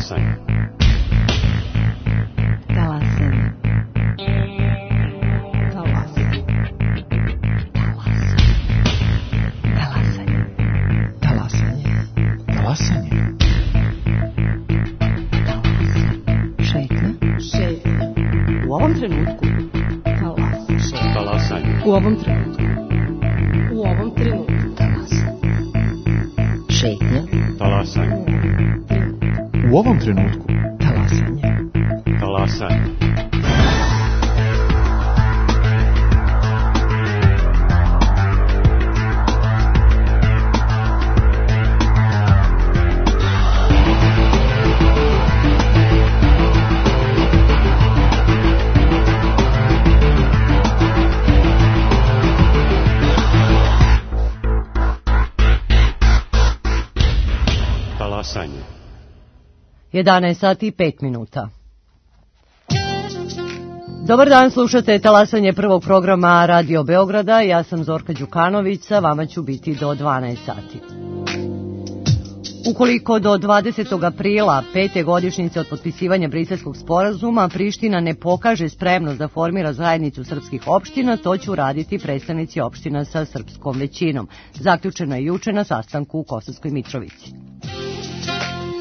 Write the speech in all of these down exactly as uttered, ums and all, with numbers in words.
Talasanje. Talasanje. Talasanje. Talasanje. Talasanje. Talasanje. Šetnja. Šetnja. U ovom trenutku. Talasanje. Talasanje. U ovom trenutku. U ovom trenutku. Talasanje. Šetnja. Talasanje. U ovom trenutku. Talasanje. Talasanje. Talasanje. jedanaest sati i pet minuta. Dobar dan, slušate Talasanje prvog programa Radio Beograda. Ja sam Zorka Đukanović, sa vama ću biti do dvanaest sati. Ukoliko do dvadesetog aprila, pete godišnjice od potpisivanja Briselskog sporazuma, Priština ne pokaže spremnost da formira zajednicu srpskih opština, to će uraditi predstavnici opština sa srpskom većinom. Zaključeno je juče na sastanku u Kosovskoj Mitrovici.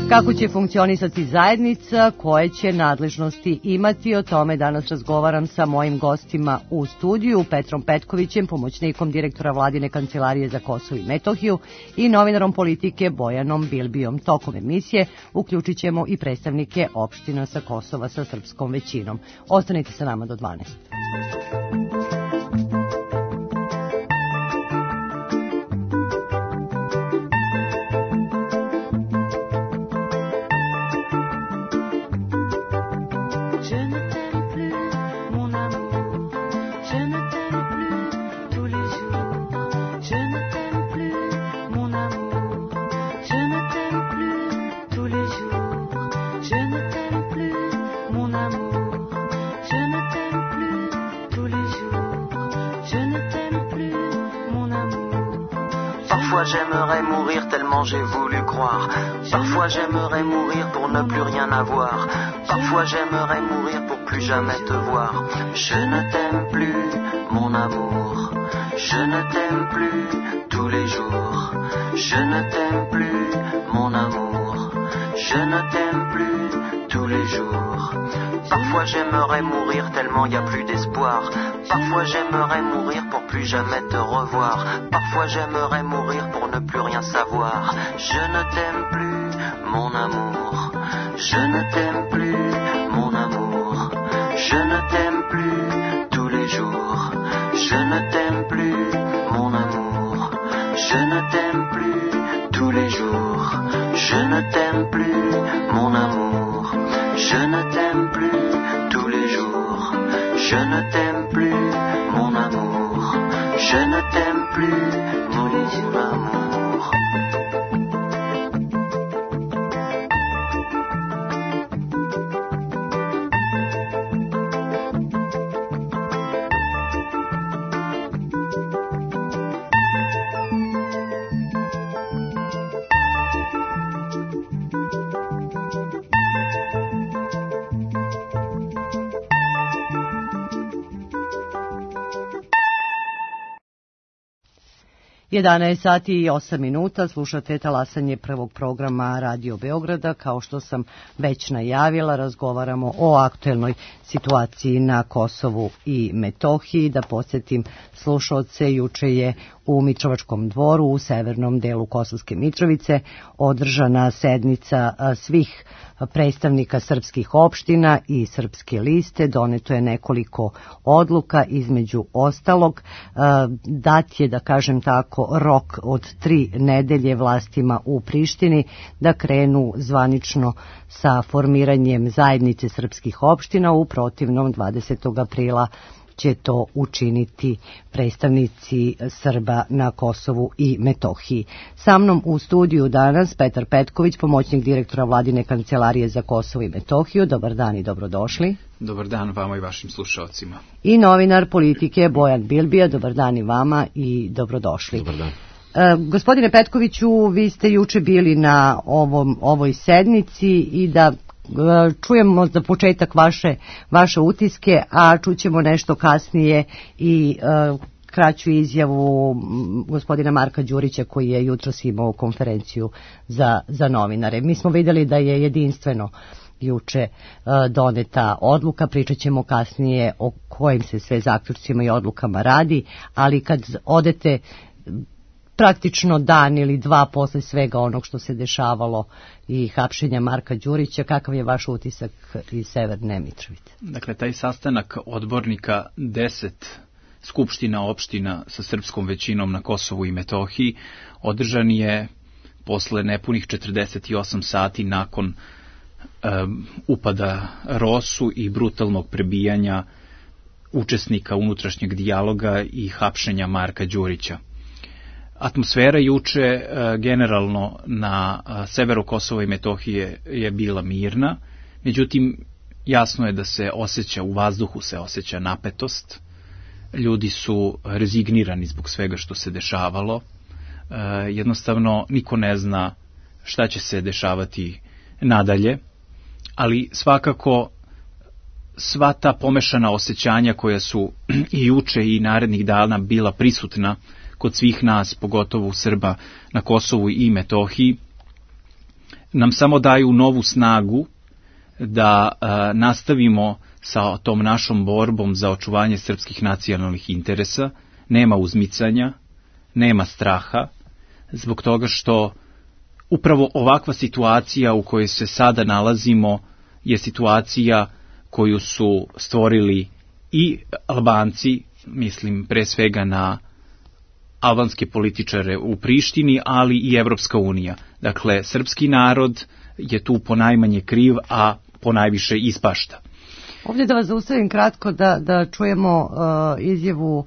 Kako će funkcionisati zajednica, koje će nadležnosti imati, o tome danas razgovaram sa mojim gostima u studiju, Petrom Petkovićem, pomoćnikom direktora Vladine kancelarije za Kosovo i Metohiju, i novinarom politike Bojanom Bilbijom. Tokom emisije uključit ćemo i predstavnike opština sa Kosova sa srpskom većinom. Ostanite sa nama do dvanaest. J'aimerais mourir tellement j'ai voulu croire. Parfois j'aimerais mourir pour ne plus rien avoir. Parfois j'aimerais mourir pour plus jamais te voir. Je ne t'aime plus, mon amour. Je ne t'aime plus tous les jours. Je ne t'aime plus, mon amour. Je ne t'aime plus tous les jours. Parfois j'aimerais mourir tellement y a plus d'espoir. Parfois j'aimerais mourir pour plus jamais te revoir. Parfois j'aimerais mourir pour ne plus rien savoir. Je ne t'aime plus, mon amour. Je ne t'aime plus, mon amour. Je ne t'aime plus tous les jours. Je ne t'aime plus, mon amour. Je ne t'aime plus tous les jours. Je ne t'aime plus, mon amour. Je ne t'aime plus tous les jours. Je ne t'aime plus, mon amour. Je ne t'aime plus, mon amour. jedanaest sati i osam minuta, slušate Talasanje prvog programa Radio Beograda. Kao što sam već najavila, razgovaramo o aktuelnoj situaciji na Kosovu i Metohiji. Da podsjetim slušaoce, juče je u Mitrovačkom dvoru u severnom delu Kosovske Mitrovice održana sednica svih predstavnika srpskih opština i srpske liste. Doneto je nekoliko odluka, između ostalog dat je, da kažem tako, rok od tri nedelje vlastima u Prištini da krenu zvanično sa formiranjem zajednice srpskih opština. U protivnom dvadesetog aprila će to učiniti predstavnici Srba na Kosovu i Metohiji. Sa mnom u studiju danas Petar Petković, pomoćnik direktora Vladine kancelarije za Kosovo i Metohiju. Dobar dan i dobrodošli. Dobar dan vama i vašim slušalcima. I novinar politike Bojan Bilbija. Dobar dan i vama i dobrodošli. Dobar dan. Gospodine Petkoviću, vi ste juče bili na ovom, ovoj sednici i da čujemo za početak vaše, vaše utiske, a čućemo nešto kasnije i uh, kraću izjavu gospodina Marka Đurića koji je jutros imao konferenciju za, za novinare. Mi smo vidjeli da je jedinstveno juče uh, doneta odluka, pričat ćemo kasnije o kojim se sve zaključcima i odlukama radi, ali kad odete praktično dan ili dva posle svega onog što se dešavalo i hapšenja Marka Đurića, kakav je vaš utisak iz Severne Mitrovice? Dakle, taj sastanak odbornika deset skupština opština sa srpskom većinom na Kosovu i Metohiji održan je posle nepunih četrdeset osam sati nakon um, upada Rosu i brutalnog prebijanja učesnika unutrašnjeg dijaloga i hapšenja Marka Đurića. Atmosfera juče generalno na severu Kosova i Metohije je bila mirna, međutim jasno je da se osjeća, u vazduhu se osjeća napetost, ljudi su rezignirani zbog svega što se dešavalo, jednostavno niko ne zna šta će se dešavati nadalje, ali svakako sva ta pomešana osjećanja koja su i juče i narednih dana bila prisutna kod svih nas, pogotovo Srba na Kosovu i Metohiji, nam samo daju novu snagu da a, nastavimo sa tom našom borbom za očuvanje srpskih nacionalnih interesa. Nema uzmicanja, nema straha, zbog toga što upravo ovakva situacija u kojoj se sada nalazimo je situacija koju su stvorili i Albanci, mislim pre svega na albanske političare u Prištini, ali i Evropska unija. Dakle, srpski narod je tu ponajmanje kriv, a ponajviše ispašta. Ovdje da vas zaustavim kratko da, da čujemo uh, izjavu uh,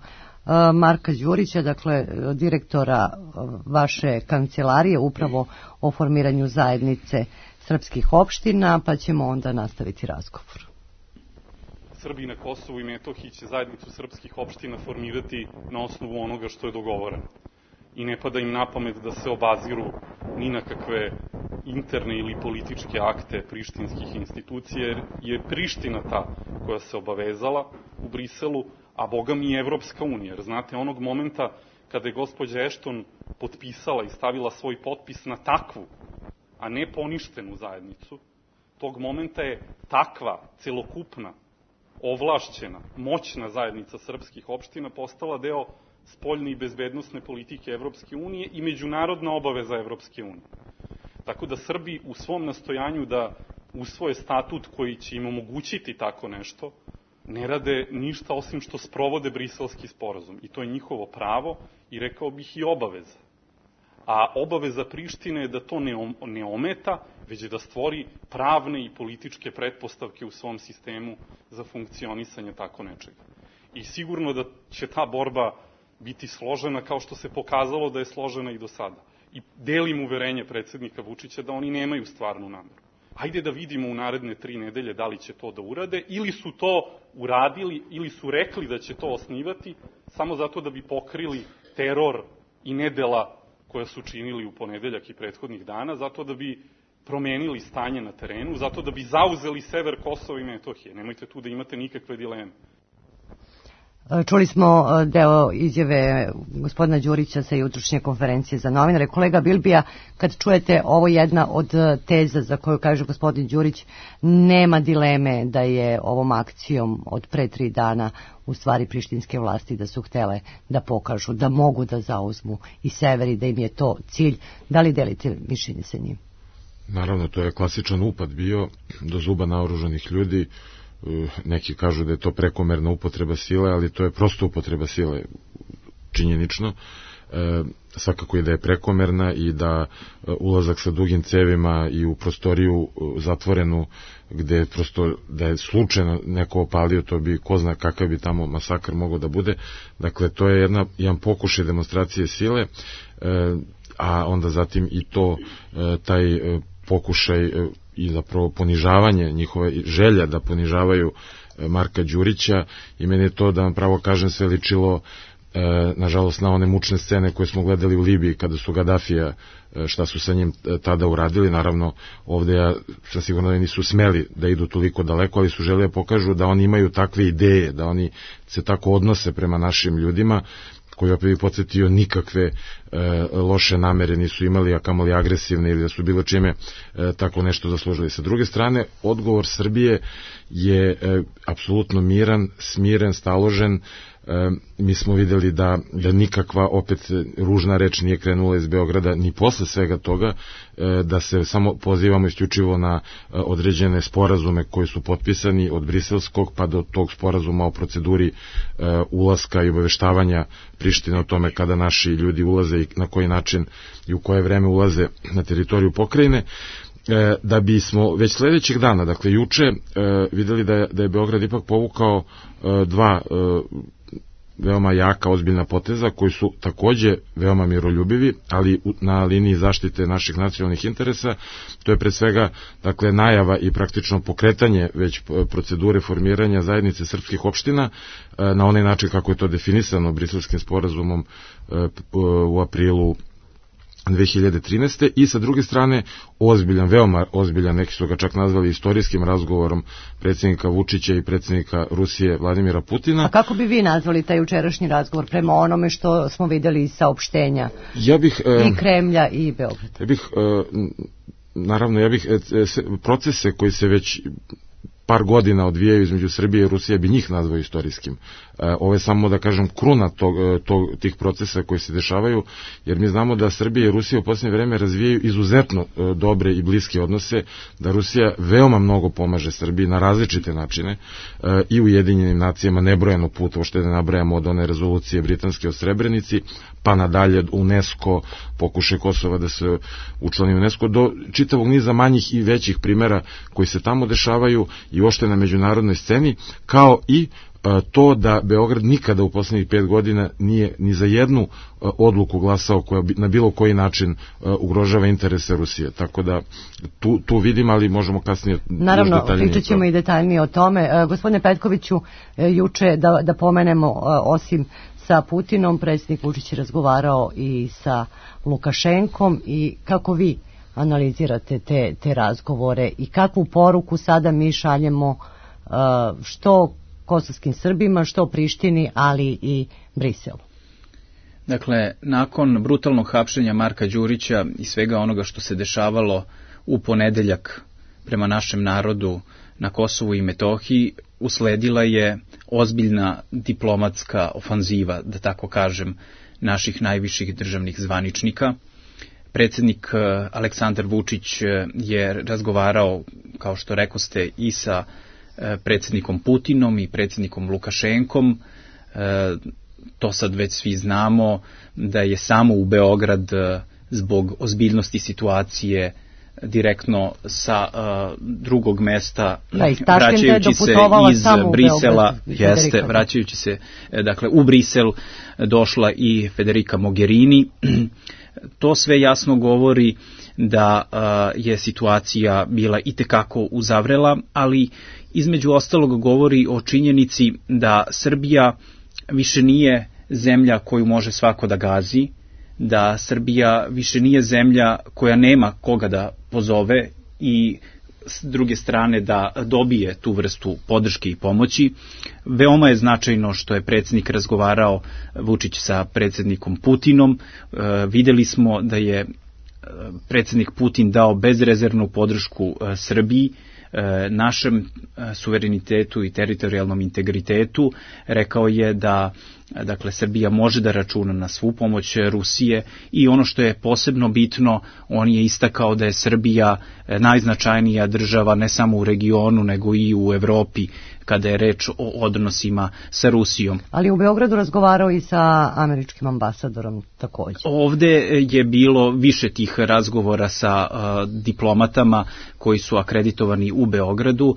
Marka Đurića, dakle direktora uh, vaše kancelarije upravo o formiranju zajednice srpskih opština, pa ćemo onda nastaviti razgovor. Srbi na Kosovu i Metohiji će zajednicu srpskih opština formirati na osnovu onoga što je dogovoreno. I ne pada im na pamet da se obaziru ni na kakve interne ili političke akte prištinskih institucija, jer je Priština ta koja se obavezala u Briselu, a boga mi i Evropska unija. Jer znate, onog momenta kada je gospođa Ešton potpisala i stavila svoj potpis na takvu, a ne poništenu zajednicu, tog momenta je takva, celokupna, ovlašćena, moćna zajednica srpskih opština postala deo spoljne i bezbednosne politike Evropske unije i međunarodna obaveza Evropske unije. Tako da Srbi u svom nastojanju da usvoje statut koji će im omogućiti tako nešto, ne rade ništa osim što sprovode Briselski sporazum. I to je njihovo pravo i rekao bih i obaveza. A obaveza Prištine je da to ne ometa, već da stvori pravne i političke pretpostavke u svom sistemu za funkcionisanje tako nečega. I sigurno da će ta borba biti složena kao što se pokazalo da je složena i do sada. I delim uverenje predsednika Vučića da oni nemaju stvarnu nameru. Hajde da vidimo u naredne tri nedelje da li će to da urade, ili su to uradili, ili su rekli da će to osnivati, samo zato da bi pokrili teror i nedela koja su činili u ponedeljak i prethodnih dana, zato da bi promenili stanje na terenu, zato da bi zauzeli sever Kosova i Metohije. Nemojte tu da imate nikakve dileme. Čuli smo deo izjave gospodina Đurića sa jutrošnje konferencije za novinare. Kolega Bilbija, kad čujete ovo jedna od teza za koju kaže gospodin Đurić, nema dileme da je ovom akcijom od pre tri dana u stvari prištinske vlasti da su htele da pokažu da mogu da zauzmu i sever i da im je to cilj. Da li delite mišljenje sa njim? Naravno, to je klasičan upad bio do zuba naoružanih ljudi. Neki kažu da je to prekomerna upotreba sile, ali to je prosto upotreba sile činjenično. E, svakako je da je prekomerna i da ulazak sa dugim cevima i u prostoriju zatvorenu gde prosto da je slučajno neko opalio, to bi ko zna kakav bi tamo masakr mogao da bude. Dakle, to je jedna, jedan pokušaj demonstracije sile, e, a onda zatim i to e, taj e, pokušaj e, i zapravo ponižavanje njihove želja da ponižavaju Marka Đurića, i meni je to, da vam pravo kažem, sve ličilo nažalost na one mučne scene koje smo gledali u Libiji kada su Gadafija, šta su sa njim tada uradili. Naravno, ovde ja sam sigurno da nisu smeli da idu toliko daleko, ali su želi da pokažu da oni imaju takve ideje, da oni se tako odnose prema našim ljudima, koji opet bi podsjetio nikakve e, loše namere nisu imali, a kamoli agresivne ili da su bilo čime e, tako nešto zaslužili. Sa druge strane, odgovor Srbije je e, apsolutno miran, smiren, staložen. E, mi smo videli da, da nikakva opet ružna reč nije krenula iz Beograda ni posle svega toga, e, da se samo pozivamo isključivo na e, određene sporazume koji su potpisani od briselskog pa do tog sporazuma o proceduri e, ulaska i obaveštavanja Prištine o tome kada naši ljudi ulaze i na koji način i u koje vreme ulaze na teritoriju pokrajine, e, da bismo već sledećeg dana, dakle juče, e, videli da je, da je Beograd ipak povukao e, dva e, veoma jaka, ozbiljna poteza, koji su takođe veoma miroljubivi, ali na liniji zaštite naših nacionalnih interesa. To je pre svega, dakle, najava i praktično pokretanje već procedure formiranja zajednice srpskih opština na onaj način kako je to definisano Briselskim sporazumom u aprilu dve hiljade trinaeste. i sa druge strane ozbiljan, veoma ozbiljan, neki su ga čak nazvali istorijskim razgovorom predsjednika Vučića i predsjednika Rusije Vladimira Putina. A kako bi vi nazvali taj jučerašnji razgovor prema onome što smo videli iz saopštenja ja bih, i Kremlja i Beograda? Ja bih, naravno, ja bih procese koji se već par godina odvijaju između Srbije i Rusije, bi njih nazvao istorijskim. Ovo je samo, da kažem, kruna tog, tog, tih procesa koji se dešavaju, jer mi znamo da Srbija i Rusija u posljednje vreme razvijaju izuzetno dobre i bliske odnose, da Rusija veoma mnogo pomaže Srbiji na različite načine i u Ujedinjenim nacijama nebrojeno puta, što ne nabrajamo od one rezolucije britanske o Srebrenici, pa nadalje UNESCO, pokušaj Kosova da se učlani UNESCO, do čitavog niza manjih i većih primera koji se tamo dešavaju i uopšte na međunarodnoj sceni, kao i to da Beograd nikada u poslednjih pet godina nije ni za jednu odluku glasao koja na bilo koji način ugrožava interese Rusije. Tako da tu, tu vidim, ali možemo kasnije naravno, pričat ćemo i detaljnije o tome. Gospodine Petkoviću, juče da, da pomenemo, osim sa Putinom, predsjednik Vučić je razgovarao i sa Lukašenkom, i kako vi analizirate te, te razgovore i kakvu poruku sada mi šaljemo uh, što kosovskim Srbima, što Prištini, ali i Briselu? Dakle, nakon brutalnog hapšenja Marka Đurića i svega onoga što se dešavalo u ponedeljak prema našem narodu na Kosovu i Metohiji, usledila je ozbiljna diplomatska ofanziva, da tako kažem, naših najviših državnih zvaničnika. Predsjednik Aleksandar Vučić je razgovarao, kao što rekoste, i sa predsjednikom Putinom i predsjednikom Lukašenkom. To sad već svi znamo, da je samo u Beograd zbog ozbiljnosti situacije direktno sa uh, drugog mesta, da, vraćajući se iz Brisela, jeste, vraćajući se dakle u Brisel, došla i Federica Mogherini. To sve jasno govori da uh, je situacija bila itekako uzavrela, ali između ostalog govori o činjenici da Srbija više nije zemlja koju može svako da gazi, da Srbija više nije zemlja koja nema koga da pozove i s druge strane da dobije tu vrstu podrške i pomoći. Veoma je značajno što je predsjednik razgovarao, Vučić, sa predsjednikom Putinom. E, videli smo da je predsjednik Putin dao bezrezervnu podršku e, Srbiji, e, našem e, suverenitetu i teritorijalnom integritetu. Rekao je da dakle, Srbija može da računa na svu pomoć Rusije i ono što je posebno bitno, on je istakao da je Srbija najznačajnija država ne samo u regionu nego i u Evropi kada je reč o odnosima sa Rusijom. Ali u Beogradu razgovarao i sa američkim ambasadorom također. Ovde je bilo više tih razgovora sa uh, diplomatama koji su akreditovani u Beogradu. Uh,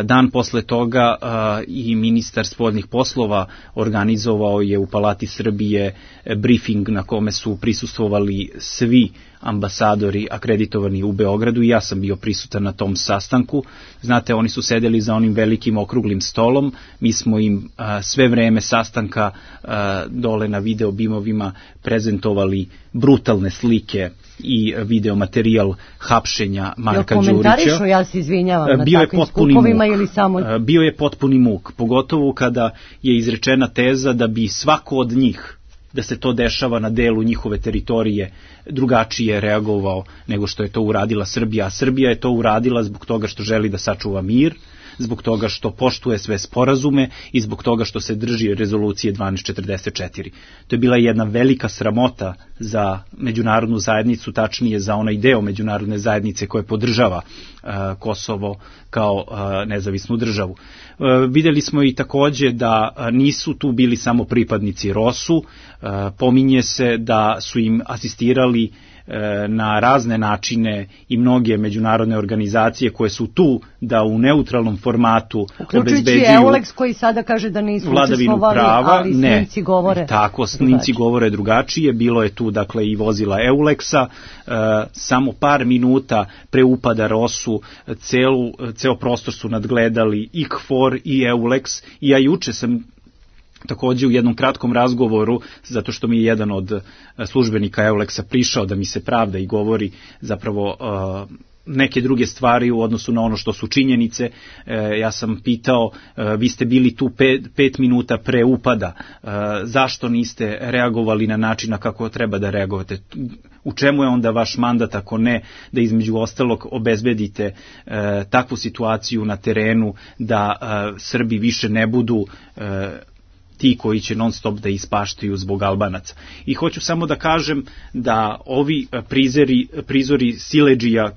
dan posle toga uh, i ministar spoljnih poslova organizovao je u Palati Srbije briefing na kome su prisustvovali svi ambasadori akreditovani u Beogradu i ja sam bio prisutan na tom sastanku. Znate, oni su sedeli za onim velikim okruglim okruglim stolom. Mi smo im a, sve vreme sastanka a, dole na video bimovima prezentovali brutalne slike i video materijal hapšenja Marka Đurića. Komentarišu, ja se izvinjavam, na bio takvim je skupovima muk. ili samo... Bio je potpuni muk, pogotovo kada je izrečena teza da bi svako od njih, da se to dešava na delu njihove teritorije, drugačije reagovao nego što je to uradila Srbija. A Srbija je to uradila zbog toga što želi da sačuva mir, zbog toga što poštuje sve sporazume i zbog toga što se drži rezolucije dvanaest četrdeset četiri. To je bila jedna velika sramota za međunarodnu zajednicu, tačnije za onaj deo međunarodne zajednice koje podržava uh, Kosovo kao uh, nezavisnu državu. Uh, videli smo i takođe da uh, nisu tu bili samo pripadnici Rosu, uh, pominje se da su im asistirali na razne načine i mnoge međunarodne organizacije koje su tu da u neutralnom formatu uključujući Eulex koji sada kaže da nisu učestvovali, ali snimci govore tako, snimci govore drugačije. Bilo je tu dakle i vozila Eulexa, e, samo par minuta pre upada Rosu celu, ceo prostor su nadgledali i K F O R i Eulex i ja juče sam takođe u jednom kratkom razgovoru, zato što mi je jedan od službenika Eulexa prišao da mi se pravda i govori zapravo uh, neke druge stvari u odnosu na ono što su činjenice. E, ja sam pitao, e, vi ste bili tu pet, pet minuta pre upada, e, zašto niste reagovali na način na kako treba da reagovate? U čemu je onda vaš mandat ako ne da između ostalog obezbedite e, takvu situaciju na terenu da e, Srbi više ne budu e, ti koji će non stop da ispaštaju zbog Albanaca. I hoću samo da kažem da ovi prizori, prizori siledžija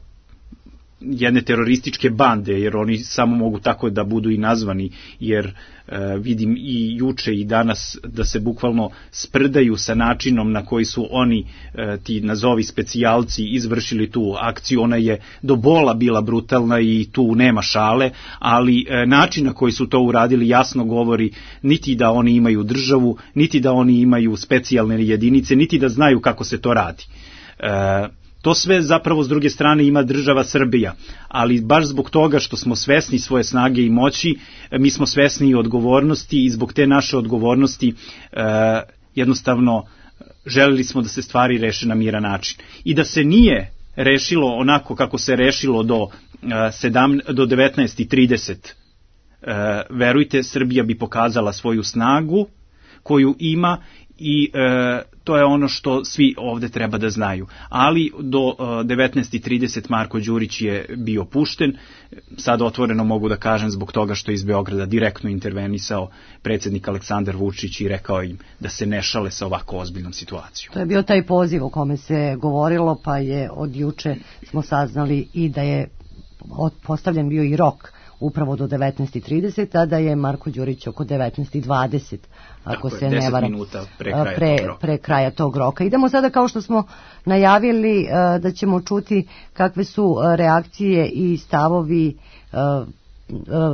jedne terorističke bande, jer oni samo mogu tako da budu i nazvani, jer e, vidim i juče i danas da se bukvalno sprdaju sa načinom na koji su oni, e, ti nazovi specijalci, izvršili tu akciju. Ona je do bola bila brutalna i tu nema šale, ali e, način na koji su to uradili jasno govori niti da oni imaju državu, niti da oni imaju specijalne jedinice, niti da znaju kako se to radi. E, To sve zapravo s druge strane ima država Srbija, ali baš zbog toga što smo svesni svoje snage i moći, mi smo svesni i odgovornosti i zbog te naše odgovornosti e, jednostavno želeli smo da se stvari reše na miran način. I da se nije rešilo onako kako se rešilo do, e, do devetnaest i trideset, e, verujte, Srbija bi pokazala svoju snagu koju ima i e, to je ono što svi ovde treba da znaju. Ali do uh, devetnaest i trideset Marko Đurić je bio pušten. Sad otvoreno mogu da kažem zbog toga što je iz Beograda direktno intervenisao predsjednik Aleksandar Vučić i rekao im da se ne šale sa ovako ozbiljnom situacijom. To je bio taj poziv o kome se govorilo, pa je od juče smo saznali i da je postavljen bio i rok upravo do devetnaest i trideset, a da je Marko Đurić oko devetnaest i dvadeset, ako Tako se je, ne varam, pre kraja, pre, pre kraja tog roka. Idemo sada, kao što smo najavili, da ćemo čuti kakve su reakcije i stavovi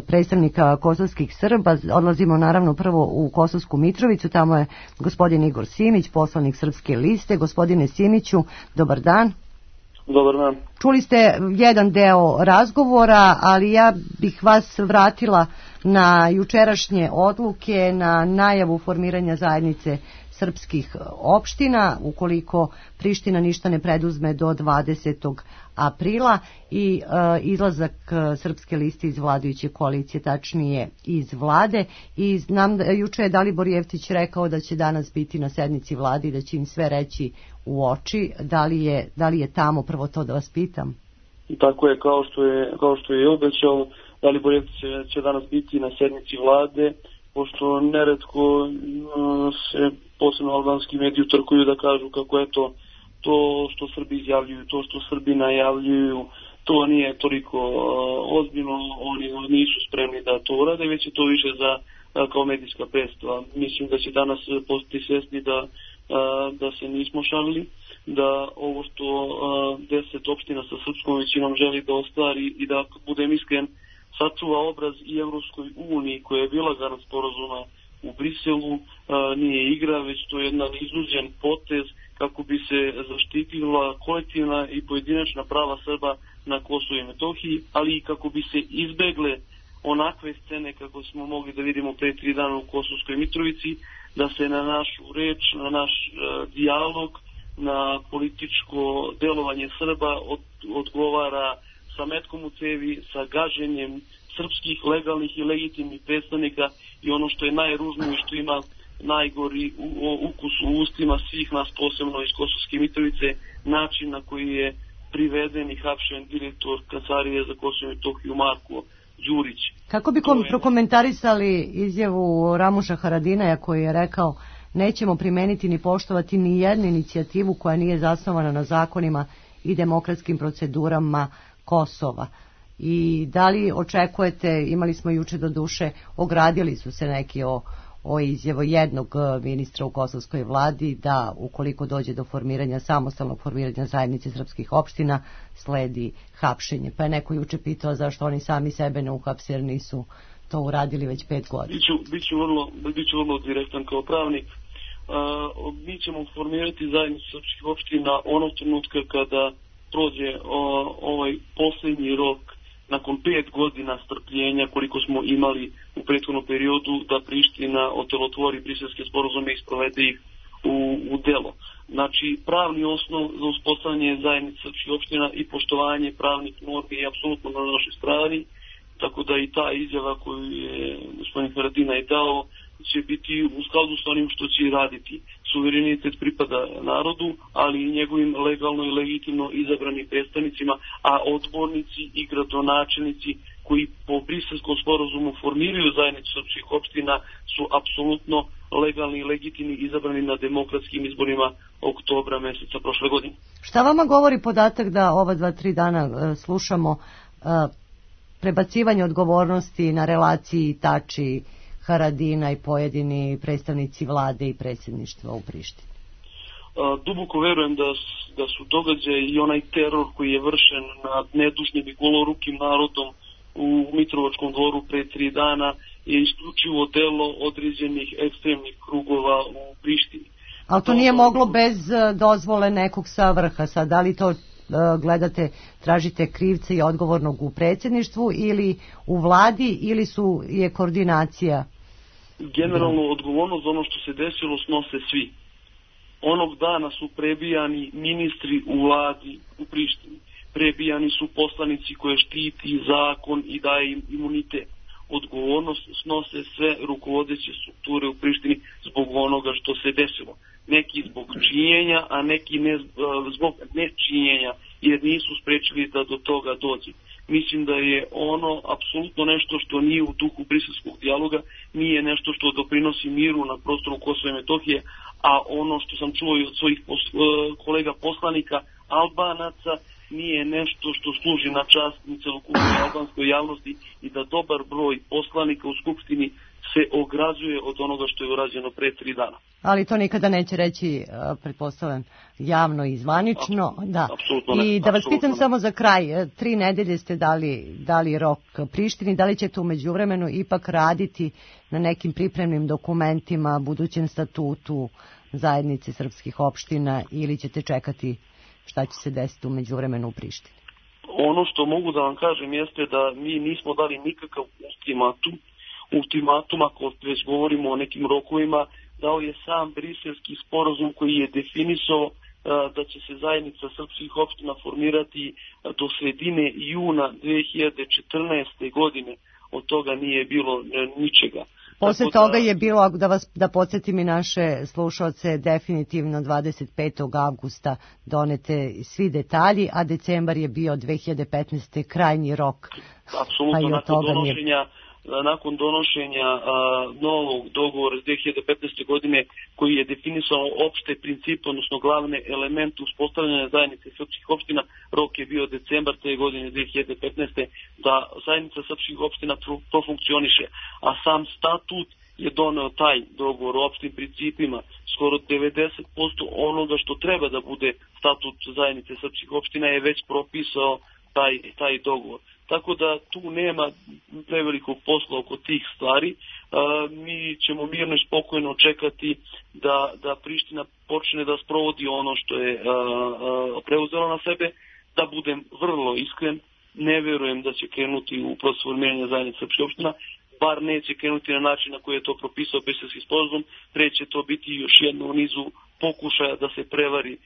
predstavnika kosovskih Srba. Odlazimo naravno prvo u Kosovsku Mitrovicu, tamo je gospodin Igor Simić, poslanik Srpske liste. Gospodine Simiću, dobar dan. Dobar dan. Čuli ste jedan deo razgovora, ali ja bih vas vratila na jučerašnje odluke, na najavu formiranja zajednice srpskih opština, ukoliko Priština ništa ne preduzme do dvadesetog aprila i e, izlazak Srpske liste iz vladajuće koalicije, tačnije iz vlade. I znam da juče je Dalibor Jeftić rekao da će danas biti na sednici vlade i da će im sve reći u oči. Da li je, da li je tamo, prvo to da vas pitam? Tako je, kao što je, kao što je obećao, Dalibor Jeftić će danas biti na sednici vlade, pošto neretko uh, se posebno albanski mediji utrkuju da kažu kako je to to što Srbi izjavljuju, to što Srbi najavljuju, to nije toliko uh, ozbiljno, oni nisu spremni da to urade, već je to više za uh, kao medijska predstava. Mislim da će danas postati svesni da, uh, da se nismo šalili, da ovo što uh, deset opština sa srpskom većinom želi da ostvari i da, budem iskren, sačuva obraz i Evropskoj uniji koja je bila garant sporazuma u Briselu, a, nije igra, već to je jedan izuđen potez kako bi se zaštitila kolektivna i pojedinačna prava Srba na Kosovu i Metohiji, ali i kako bi se izbegle onakve scene kako smo mogli da vidimo pre tri dana u Kosovskoj Mitrovici, da se na našu reč, na naš uh, dijalog, na političko delovanje Srba od, odgovara sa metkom u cevi, sa gaženjem srpskih legalnih i legitimnih predstavnika i ono što je najružnije, što ima najgori ukus u ustima svih nas, posebno iz Kosovske Mitrovice, način na koji je priveden i hapšen direktor Kancelarije za Kosovo i Metohiju Marko Đurić. Kako bi kom, prokomentarisali izjavu Ramuša Haradinaja koji je rekao: nećemo primeniti ni poštovati ni jednu inicijativu koja nije zasnovana na zakonima i demokratskim procedurama Kosova? I da li očekujete, imali smo juče do duše, ogradili su se neki o, o izjavu jednog ministra u kosovskoj vladi, da ukoliko dođe do formiranja, samostalnog formiranja zajednice srpskih opština, sledi hapšenje. Pa je neko juče pitao zašto oni sami sebe ne uhapse jer nisu to uradili već pet godina. Biću, biću, vrlo, biću vrlo direktan kao pravnik. Uh, mi ćemo formirati zajednicu srpskih opština onog trenutka kada prođe o, ovaj posljednji rok nakon pet godina strpljenja koliko smo imali u prethodnom periodu da Priština otelotvori briselske sporazume i sprovede ih u, u delo. Znači, pravni osnov za uspostavljanje zajednice srpskih opština i poštovanje pravnih normi je apsolutno na našoj strani, tako da i ta izjava koju je gospodin Haradinaj dao će biti u skladu s onim što će raditi. Suverenitet pripada narodu, ali i njegovim legalno i legitimno izabranim predstavnicima, a odbornici i gradonačelnici koji po Briselskom sporazumu formiraju zajednicu srpskih opština su apsolutno legalni i legitimni izabrani na demokratskim izborima oktobra meseca prošle godine. Šta vama govori podatak da ova dva, tri dana uh, slušamo uh, prebacivanje odgovornosti na relaciji Tači, Haradina i pojedini predstavnici vlade i predsjedništva u Prištini? Duboko verujem da, da su događaji i onaj teror koji je vršen nad nedužnim i golorukim narodom u Mitrovačkom dvoru pre tri dana je isključivo delo određenih ekstremnih krugova u Prištini. Ali to nije moglo bez dozvole nekog sa vrha. Sad, da li to gledate, tražite krivce i odgovornog u predsjedništvu ili u vladi, ili su je koordinacija? Generalno odgovornost za ono što se desilo snose svi. Onog dana su prebijani ministri u vladi u Prištini. Prebijani su poslanici koje štiti zakon i daje im imunitet. Odgovornost snose sve rukovodeće strukture u Prištini zbog onoga što se desilo. Neki zbog činjenja, a neki ne zbog nečinjenja, jer nisu sprečili da do toga dođe. Mislim da je ono apsolutno nešto što nije u duhu briselskog dijaloga, nije nešto što doprinosi miru na prostoru Kosova i Metohije, a ono što sam čuo i od svojih kolega poslanika Albanaca nije nešto što služi na čast ni celokupnoj albanskoj javnosti i da dobar broj poslanika u Skupštini se ograđuje od onoga što je urađeno pre tri dana. Ali to nikada neće reći, pretpostavljam, javno i zvanično. Apsolutno, da. apsolutno ne. I da vas pitam ne. samo za kraj, tri nedelje ste dali, dali rok Prištini, da li ćete u međuvremenu ipak raditi na nekim pripremnim dokumentima, budućem statutu zajednice srpskih opština, ili ćete čekati šta će se desiti u međuvremenu u Prištini? Ono što mogu da vam kažem jeste da mi nismo dali nikakav ultimatum. Ultimatum, ako već govorimo o nekim rokovima, dao je sam briselski sporazum koji je definisao da će se zajednica srpskih opština formirati do sredine juna dve hiljade četrnaeste. godine. Od toga nije bilo ničega. Posle toga da, je bilo, da vas da podsjetim i naše slušalce, definitivno dvadeset petog avgusta donete svi detalji, a decembar je bio dve hiljade petnaeste. krajnji rok. Apsolutno, pa nakon donošenja je... nakon donošenja a, novog dogovora iz dve hiljade petnaeste. godine koji je definisao opšte principe, odnosno glavne elemente uspostavljanja zajednice srpskih opština, rok je bio decembar te godine dve hiljade petnaeste. da zajednica srpskih opština profunkcioniše, a sam statut je doneo taj dogovor o opštim principima. Skoro devedeset posto onoga što treba da bude statut zajednice srpskih opština je već propisao taj, taj dogovor. Tako da tu nema prevelikog posla oko tih stvari. E, mi ćemo mirno i spokojno čekati da, da Priština počne da sprovodi ono što je e, e, preuzela na sebe. Da budem vrlo iskren, ne verujem da će krenuti u proces formiranja zajednice srpskih opština, bar neće krenuti na način na koji je to propisao Briselski sporazum, pre će to biti još jedno u nizu pokušaja da se prevari uh,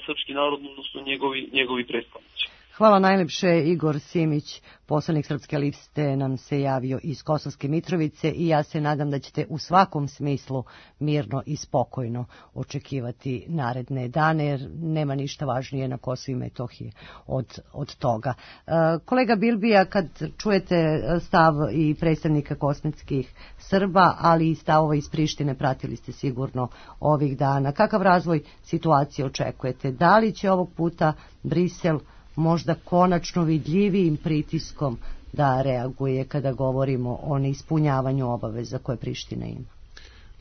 srpski narod, odnosno njegovi, njegovi predstavnici. Hvala najlepše. Igor Simić, poslanik Srpske liste, nam se javio iz Kosovske Mitrovice i ja se nadam da ćete u svakom smislu mirno i spokojno očekivati naredne dane, jer nema ništa važnije na Kosovu i Metohiji od, od toga. E, kolega Bilbija, kad čujete stav i predstavnika kosmetskih Srba, ali i stavova iz Prištine, pratili ste sigurno ovih dana. Kakav razvoj situacije očekujete? Da li će ovog puta Brisel možda konačno vidljivijim pritiskom da reaguje kada govorimo o neispunjavanju obaveza koje Priština ima?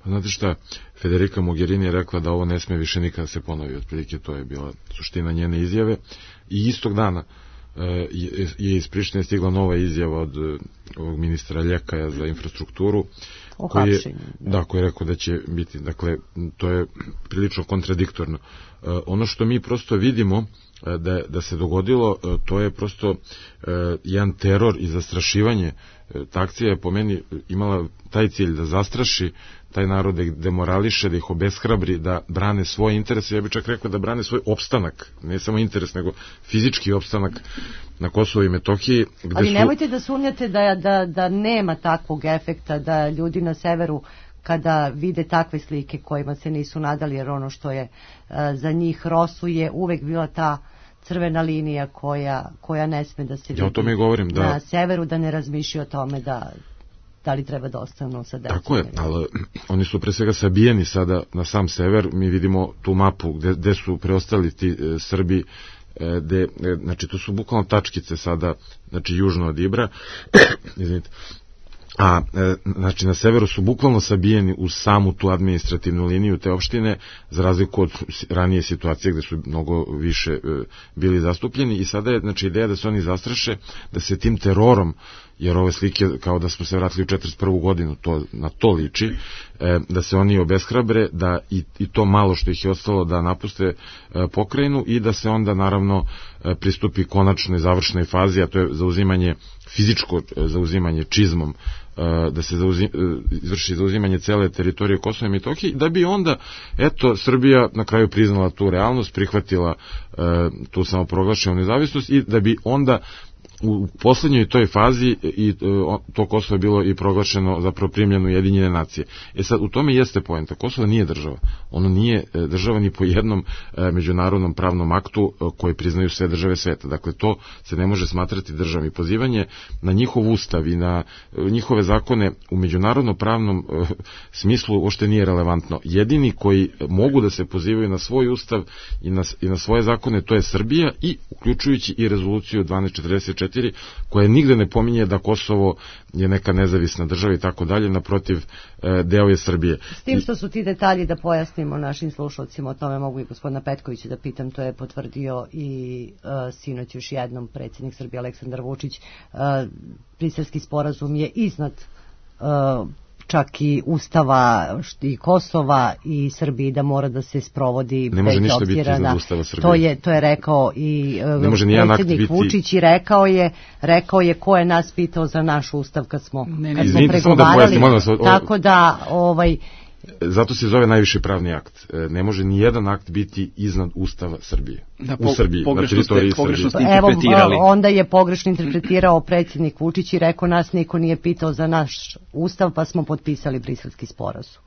Pa znate šta, Federica Mogherini je rekla da ovo ne sme više nikada se ponovi, otprilike to je bila suština njene izjave i istog dana je, je iz Prištine stigla nova izjava od ovog ministra Ljekaja za infrastrukturu, koji je, da, koji je rekao da će biti, dakle, to je prilično kontradiktorno. Ono što mi prosto vidimo da, da se dogodilo, to je prosto jedan teror i zastrašivanje. Ta akcija je po meni imala taj cilj da zastraši taj narod, da ih demorališe, da ih obeshrabri, da brane svoje interese. Ja bih čak rekao da brane svoj opstanak, ne samo interes, nego fizički opstanak na Kosovu i Metohiji. Gde Ali su... nemojte da sumnjate da, da, da nema takvog efekta, da ljudi na severu kada vide takve slike kojima se nisu nadali, jer ono što je uh, za njih Rosu je uvek bila ta crvena linija koja, koja ne sme da se vidi. Ja o tome i govorim, da. Na severu, da ne razmišlja o tome da da li treba da ostanu sa decom. Tako je, ali oni su pre svega sabijeni sada na sam sever. Mi vidimo tu mapu gde, gde su preostali ti e, Srbi, e, gde, e, znači to su bukvalno tačkice sada, znači južno od Ibra, izvinite, a e, znači na severu su bukvalno sabijeni u samu tu administrativnu liniju te opštine, za razliku od ranije situacije gde su mnogo više e, bili zastupljeni, i sada je znači ideja da se oni zastraše, da se tim terorom, jer ove slike kao da smo se vratili u četrdeset prvu godinu, to, na to liči, e, da se oni obeshrabre, da i, i to malo što ih je ostalo da napuste e, pokrajinu i da se onda naravno e, pristupi konačnoj završnoj fazi, a to je zauzimanje, fizičko e, zauzimanje čizmom, e, da se zauzim, e, izvrši zauzimanje cele teritorije Kosova i Metohije, da bi onda, eto, Srbija na kraju priznala tu realnost, prihvatila e, tu samoproglašenu nezavisnost i da bi onda u poslednjoj toj fazi i to Kosovo je bilo i proglašeno zapravo primljeno Ujedinjene nacije. E sad, u tome jeste poenta. Kosovo nije država. Ono nije država ni po jednom međunarodnom pravnom aktu koji priznaju sve države sveta. Dakle, to se ne može smatrati državom. I pozivanje na njihov ustav i na njihove zakone u međunarodnom pravnom smislu uopšte nije relevantno. Jedini koji mogu da se pozivaju na svoj ustav i na, i na svoje zakone, to je Srbija, i uključujući i rezoluciju dvanaest četrdeset četiri, koja nigde ne pominje da Kosovo je neka nezavisna država i tako dalje, naprotiv, deo je Srbije. S tim što su ti detalji, da pojasnimo našim slušalcima, o tome mogu i gospodina Petkovića da pitam, to je potvrdio i uh, sinoć još jednom predsjednik Srbije Aleksandar Vučić. Uh, Briselski sporazum je iznad uh, čak i Ustava i Kosova i Srbiji, da mora da se sprovodi. Ne može ništa biti iznad Ustava Srbije. To je, to je rekao i predsjednik biti... Vučić, i rekao je, rekao je ko je nas pitao za naš Ustav kad smo, ne, ne, kad smo pregovarali. Da vas, o... Tako da, ovaj... Zato se zove najviši pravni akt. Ne može ni jedan akt biti iznad Ustava Srbije. Da, po, u Srbiji, pogrešno, ste, pogrešno ste Evo, interpretirali. Onda je pogrešno interpretirao predsjednik Vučić i rekao nas niko nije pitao za naš Ustav, pa smo potpisali Briselski sporazum.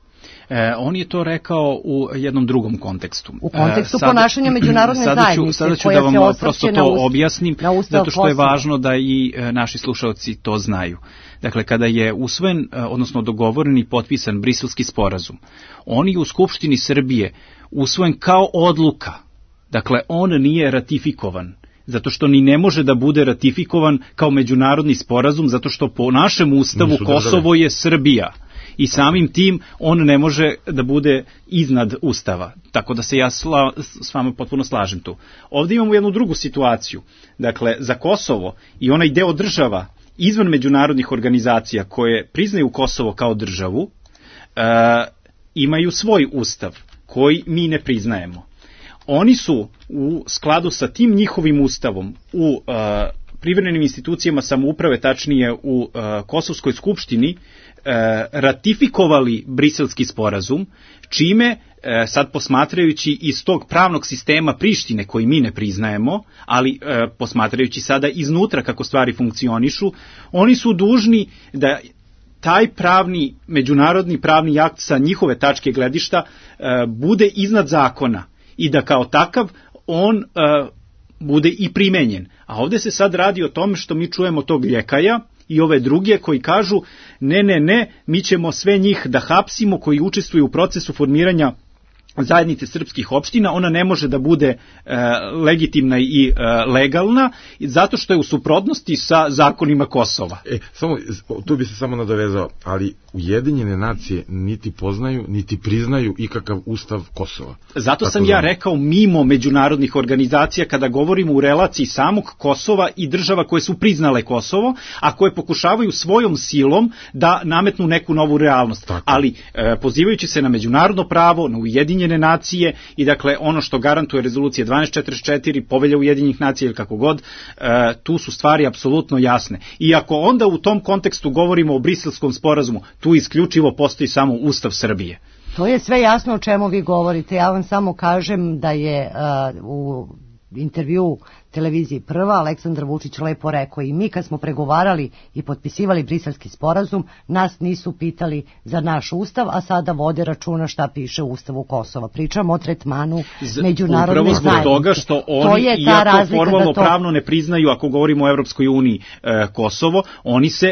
E, on je to rekao u jednom drugom kontekstu. U kontekstu e, sad, ponašanja međunarodne sada ću, zajednice. Sada ću da vam prosto to ustav, objasnim, zato što je važno da i e, naši slušalci to znaju. Dakle, kada je usvojen, e, odnosno dogovoren i potpisan Briselski sporazum, on je u Skupštini Srbije usvojen kao odluka. Dakle, on nije ratifikovan, zato što ni ne može da bude ratifikovan kao međunarodni sporazum, zato što po našem ustavu Kosovo je Srbija. I samim tim on ne može da bude iznad Ustava. Tako da se ja sla, s vama potpuno slažem tu. Ovdje imamo jednu drugu situaciju. Dakle, za Kosovo i onaj deo država izvan međunarodnih organizacija koje priznaju Kosovo kao državu, e, imaju svoj ustav koji mi ne priznajemo. Oni su u skladu sa tim njihovim ustavom u e, privremenim institucijama samouprave, tačnije u uh, Kosovskoj skupštini, uh, ratifikovali Briselski sporazum, čime sad posmatrajući iz tog pravnog sistema Prištine koji mi ne priznajemo, ali e, posmatrajući sada iznutra kako stvari funkcionišu, oni su dužni da taj pravni, međunarodni pravni akt sa njihove tačke gledišta e, bude iznad zakona i da kao takav on e, bude i primenjen. A ovde se sad radi o tome što mi čujemo tog ljekaja i ove druge koji kažu ne, ne, ne, mi ćemo sve njih da hapsimo koji učestvuju u procesu formiranja zajednice srpskih opština, ona ne može da bude e, legitimna i e, legalna, zato što je u suprotnosti sa zakonima Kosova. E, samo, tu bi se samo nadovezao, ali Ujedinjene nacije niti poznaju, niti priznaju ikakav ustav Kosova. Zato Tako sam da... ja rekao mimo međunarodnih organizacija kada govorimo u relaciji samog Kosova i država koje su priznale Kosovo, a koje pokušavaju svojom silom da nametnu neku novu realnost. Tako. Ali e, pozivajući se na međunarodno pravo, na Ujedinjene nacije i dakle ono što garantuje rezolucija dvanaest četrdeset četiri, Povelja Ujedinjenih nacija ili kako god, e, tu su stvari apsolutno jasne. I ako onda u tom kontekstu govorimo o Briselskom sporazumu, tu isključivo postoji samo Ustav Srbije. To je sve jasno o čemu vi govorite. Ja vam samo kažem da je uh, u intervju televiziji Prva Aleksandar Vučić lepo rekao i mi kad smo pregovarali i potpisivali Briselski sporazum, nas nisu pitali za naš ustav, a sada vode računa šta piše u ustavu Kosova. Pričamo o tretmanu međunarodne zajednice. Upravo zbog toga što oni, iako formalno to... pravno ne priznaju, ako govorimo o Evropskoj uniji e, Kosovo, oni se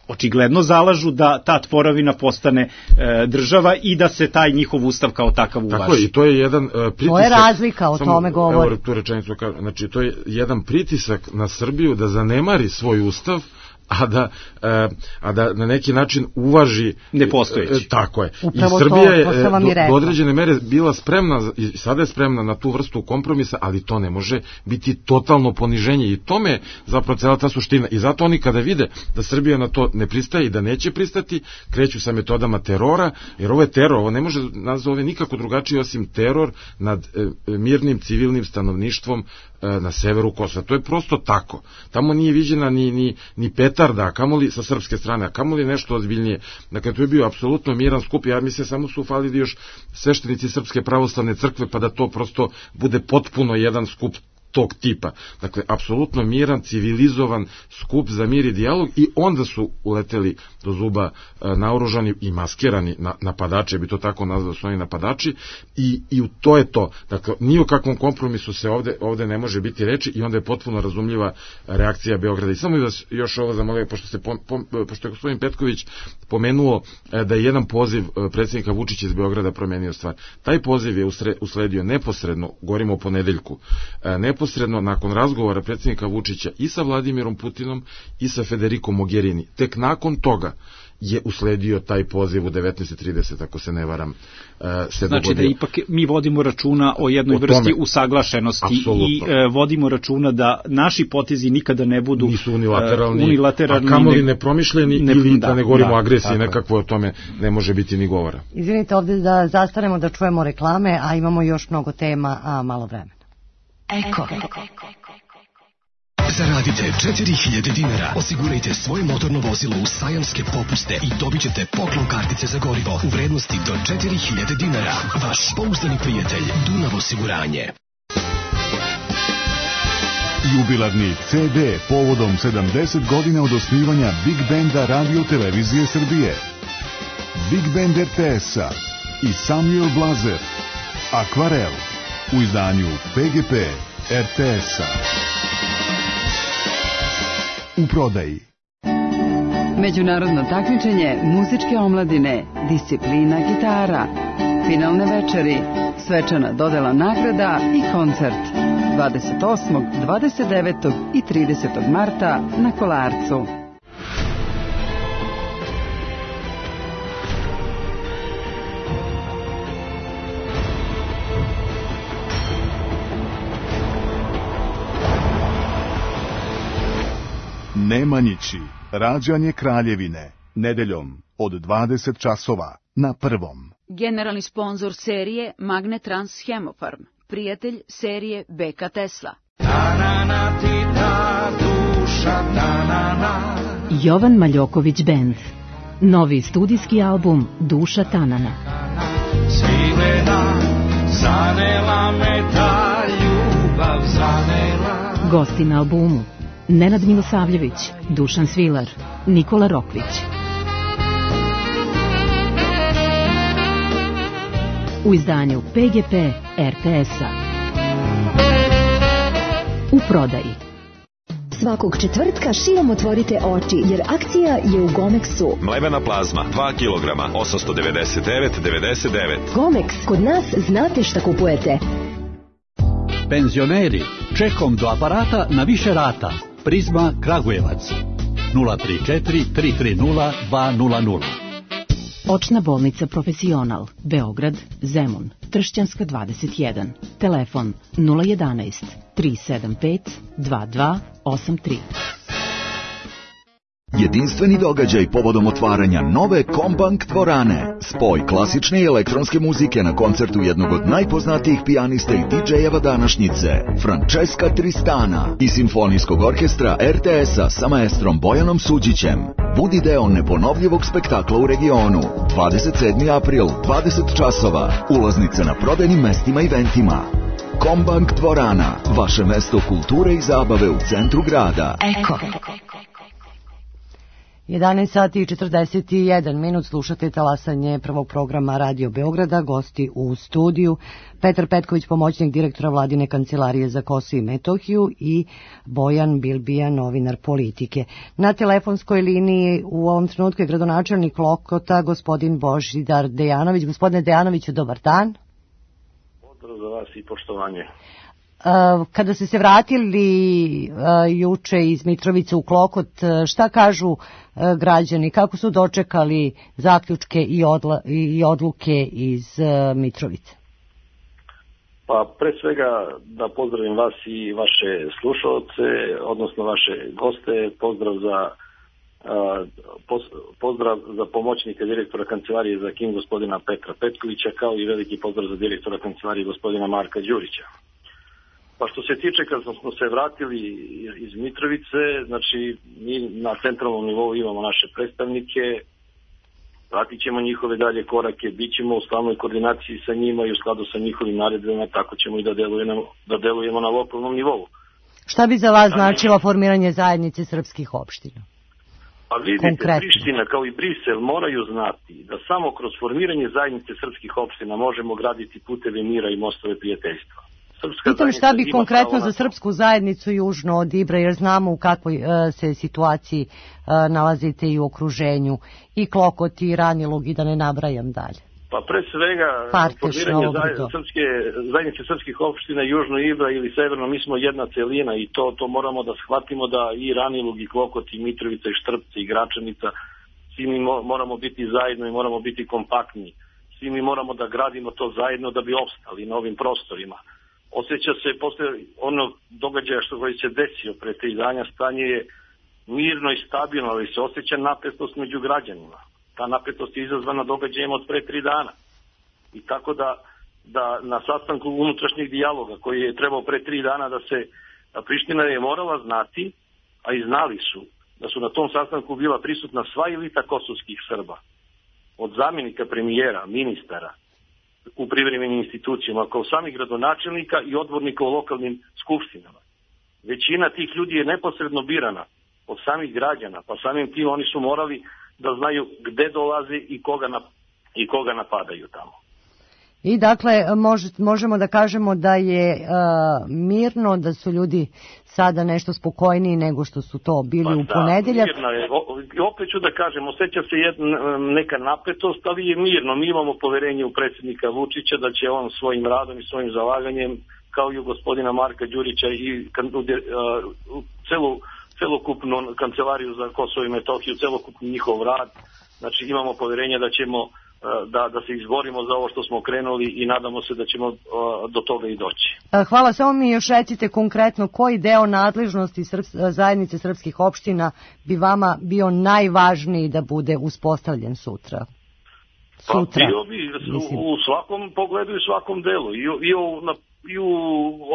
očigledno zalažu da ta tvoravina postane e, država i da se taj njihov ustav kao takav uvaži. Tako je, i to je jedan uh, pritisak. To je razlika, o samo, tome govori. Evo tu rečenicu, znači to je jedan pritisak na Srbiju da zanemari svoj ustav, a da, e, a da na neki način uvaži nepostojeći. E, tako je. Upravo I Srbija to, to je do, do određene mere bila spremna, i sada je spremna na tu vrstu kompromisa, ali to ne može biti totalno poniženje i tome je zapravo cela ta suština. I zato oni kada vide da Srbija na to ne pristaje i da neće pristati, kreću sa metodama terora, jer ovo je teror, ovo ne može nazove nikako drugačije osim teror nad e, mirnim civilnim stanovništvom na severu Kosova. To je prosto tako. Tamo nije viđena ni, ni, ni petarda, a kamoli sa srpske strane, a kamoli nešto ozbiljnije. Dakle, to je bio apsolutno miran skup. Ja mislim, samo su falili još sveštenici Srpske pravoslavne crkve, pa da to prosto bude potpuno jedan skup tog tipa. Dakle, apsolutno miran, civilizovan skup za mir i dijalog i onda su uleteli do zuba e, naoružani i maskirani na, napadače, bi to tako nazvao, su oni napadači i, i to je to. Dakle, ni o kakvom kompromisu se ovde, ovde ne može biti reči i onda je potpuno razumljiva reakcija Beograda. I samo vas još ovo zamolio, pošto, se pom, pom, pošto je gospodin Petković pomenuo e, da je jedan poziv e, predsjednika Vučića iz Beograda promenio stvar. Taj poziv je usre, usledio neposredno, govorimo o ponedeljku, e, neposredno Posredno nakon razgovora predsjednika Vučića i sa Vladimirom Putinom i sa Federico Mogherini. Tek nakon toga je usledio taj poziv u devetnaest trideset, ako se ne varam. Se znači dogodio. Da ipak mi vodimo računa o jednoj o vrsti usaglašenosti Absolutno. i e, vodimo računa da naši potezi nikada ne budu nisu unilateralni, e, unilateralni a kamoli nepromišljeni ne, ili da, da ne govorimo da, o agresiji, nekakvo o tome ne može biti ni govora. Izvinite, ovdje da zastanemo da čujemo reklame, a imamo još mnogo tema, a malo vremena. Eko. Zaradite četiri hiljade dinara, osigurajte svoje motorno vozilo u sajamske popuste i dobit ćete poklon kartice za gorivo u vrednosti do četiri hiljade dinara. Vaš pouzdani prijatelj Dunav osiguranje. Jubilarni ce de povodom sedamdeset godina od osnivanja Big Benda Radio Televizije Srbije. Big Band er te es-a i Samuel Blazer. Akvarel u izdanju pe ge pe er te es-a. U prodaji. Međunarodno takmičenje muzičke omladine, disciplina gitara, finalne večeri, svečana dodela nagrada i koncert dvadeset osmog, dvadeset devetog i tridesetog marta na Kolarcu. Nemanjići, rađanje Kraljevine, nedeljom od dvadeset časova na Prvom. Generalni sponzor serije Magnetrans Hemofarm, prijatelj serije be ka Tesla. Tananatita duša duša tanana. Jovan Maljoković Band. Novi studijski album Duša tanana. Svilena, zanela me ta ljubav, zanela. Gosti na albumu: Nenad Milosavljević, Dušan Svilar, Nikola Rokvić. U izdanju P G P R T S-a. U prodaji. Svakog četvrtka širom otvorite oči, jer akcija je u Gomexu. Mlevena plazma, dva kilograma, osamsto devedeset devet devedeset devet. Gomex, kod nas znate šta kupujete. Penzioneri, čekom do aparata na više rata. Prizma Kragujevac. nula tri četiri tri tri nula dva nula nula. Očna bolnica Profesional, Beograd, Zemun, Tršćanska dvadeset jedan. Telefon nula jedanaest tri sedam pet dva dva osam tri. Jedinstveni događaj povodom otvaranja nove Kombank dvorane. Spoj klasične i elektronske muzike na koncertu jednog od najpoznatijih pijanista i didžejeva današnjice, Francesca Tristana, i simfonijskog orkestra R T S-a sa maestrom Bojanom Suđićem. Budi deo neponovljivog spektakla u regionu. dvadeset sedmi april, dvadeset časova. Ulaznice na prodajnim mestima i eventima. Kombank dvorana, vaše mesto kulture i zabave u centru grada. Eko. jedanaest sati i četrdeset jedan minut, slušate talasanje prvog programa Radio Beograda. Gosti u studiju: Petar Petković, pomoćnik direktora Vladine kancelarije za Kosovo i Metohiju, i Bojan Bilbija, novinar politike. Na telefonskoj liniji u ovom trenutku je gradonačelnik Lokota, gospodin Božidar Dejanović. Gospodine Dejanoviću, dobar dan. Pozdrav za vas i poštovanje. Kada ste se vratili juče iz Mitrovice u Klokot, šta kažu građani, kako su dočekali zaključke i, odla, i odluke iz Mitrovice? Pa pre svega da pozdravim vas i vaše slušalce, odnosno vaše goste, pozdrav za pozdrav za pomoćnika direktora kancelarije za K I M gospodina Petra Petkovića, kao i veliki pozdrav za direktora kancelarije gospodina Marka Đurića. Pa što se tiče, kad smo se vratili iz Mitrovice, znači mi na centralnom nivou imamo naše predstavnike, pratit ćemo njihove dalje korake, bit ćemo u stalnoj koordinaciji sa njima i u skladu sa njihovim naredbama, tako ćemo i da delujemo, da delujemo na lokalnom nivou. Šta bi za vas značilo formiranje zajednice srpskih opština? A vidite, Konkretno. Priština kao i Brisel moraju znati da samo kroz formiranje zajednice srpskih opština možemo graditi puteve mira i mostove prijateljstva. Pitam šta bi konkretno za srpsku zajednicu južno od Ibra, jer znamo u kakvoj uh, se situaciji uh, nalazite i u okruženju, i Klokot i Ranilug, i da ne nabrajam dalje. Pa pre svega formiranje zajednice, srpske, zajednice srpskih opština južno Ibra ili severno, mi smo jedna celina i to, to moramo da shvatimo, da i Ranilug i Klokot i Mitrovica i Štrpce i Gračanica, svi mi moramo biti zajedno i moramo biti kompaktni. Svi mi moramo da gradimo to zajedno da bi opstali na ovim prostorima. Osjeća se posle onog događaja što koji se desio pre tri dana, stanje je mirno i stabilno, ali se osjeća napetost među građanima. Ta napetost je izazvana događajem od pre tri dana. I tako da, da na sastanku unutrašnjeg dijaloga koji je trebao pre tri dana da se, a Priština je morala znati, a i znali su, da su na tom sastanku bila prisutna sva elita kosovskih Srba. Od zamjenika premijera, ministara, u privremenim institucijama, kao sami gradonačelnika i odbornika u lokalnim skupštinama. Većina tih ljudi je neposredno birana od samih građana, pa samim tim oni su morali da znaju gde dolaze i koga, na, i koga napadaju tamo. I dakle, može, možemo da kažemo da je uh, mirno, da su ljudi sada nešto spokojniji nego što su to bili pa u da, ponedeljak. Mirno je. O, opet ću da kažem, osjeća se jedna, neka napetost, ali je mirno. Mi imamo poverenje u predsjednika Vučića da će on svojim radom i svojim zalaganjem, kao i u gospodina Marka Đurića i uh, celu, celokupnu kancelariju za Kosovo i Metohiju, celokupni njihov rad. Znači imamo poverenje da ćemo Da, da se izborimo za ovo što smo krenuli i nadamo se da ćemo uh, do toga i doći. Hvala, samo mi još recite konkretno koji deo nadležnosti Srps, zajednice srpskih opština bi vama bio najvažniji da bude uspostavljen sutra? Sutra. Pa bio bi u, u svakom pogledu i svakom delu. I, i u, na i u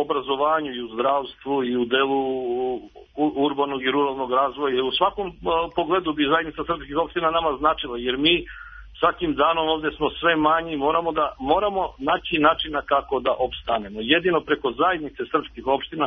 obrazovanju, i u zdravstvu, i u delu urbanog i ruralnog razvoja. U svakom pogledu bi zajednica srpskih opština nama značila, jer mi svakim danom ovde smo sve manji i moramo, da, moramo naći načina kako da opstanemo. Jedino preko zajednice srpskih opština,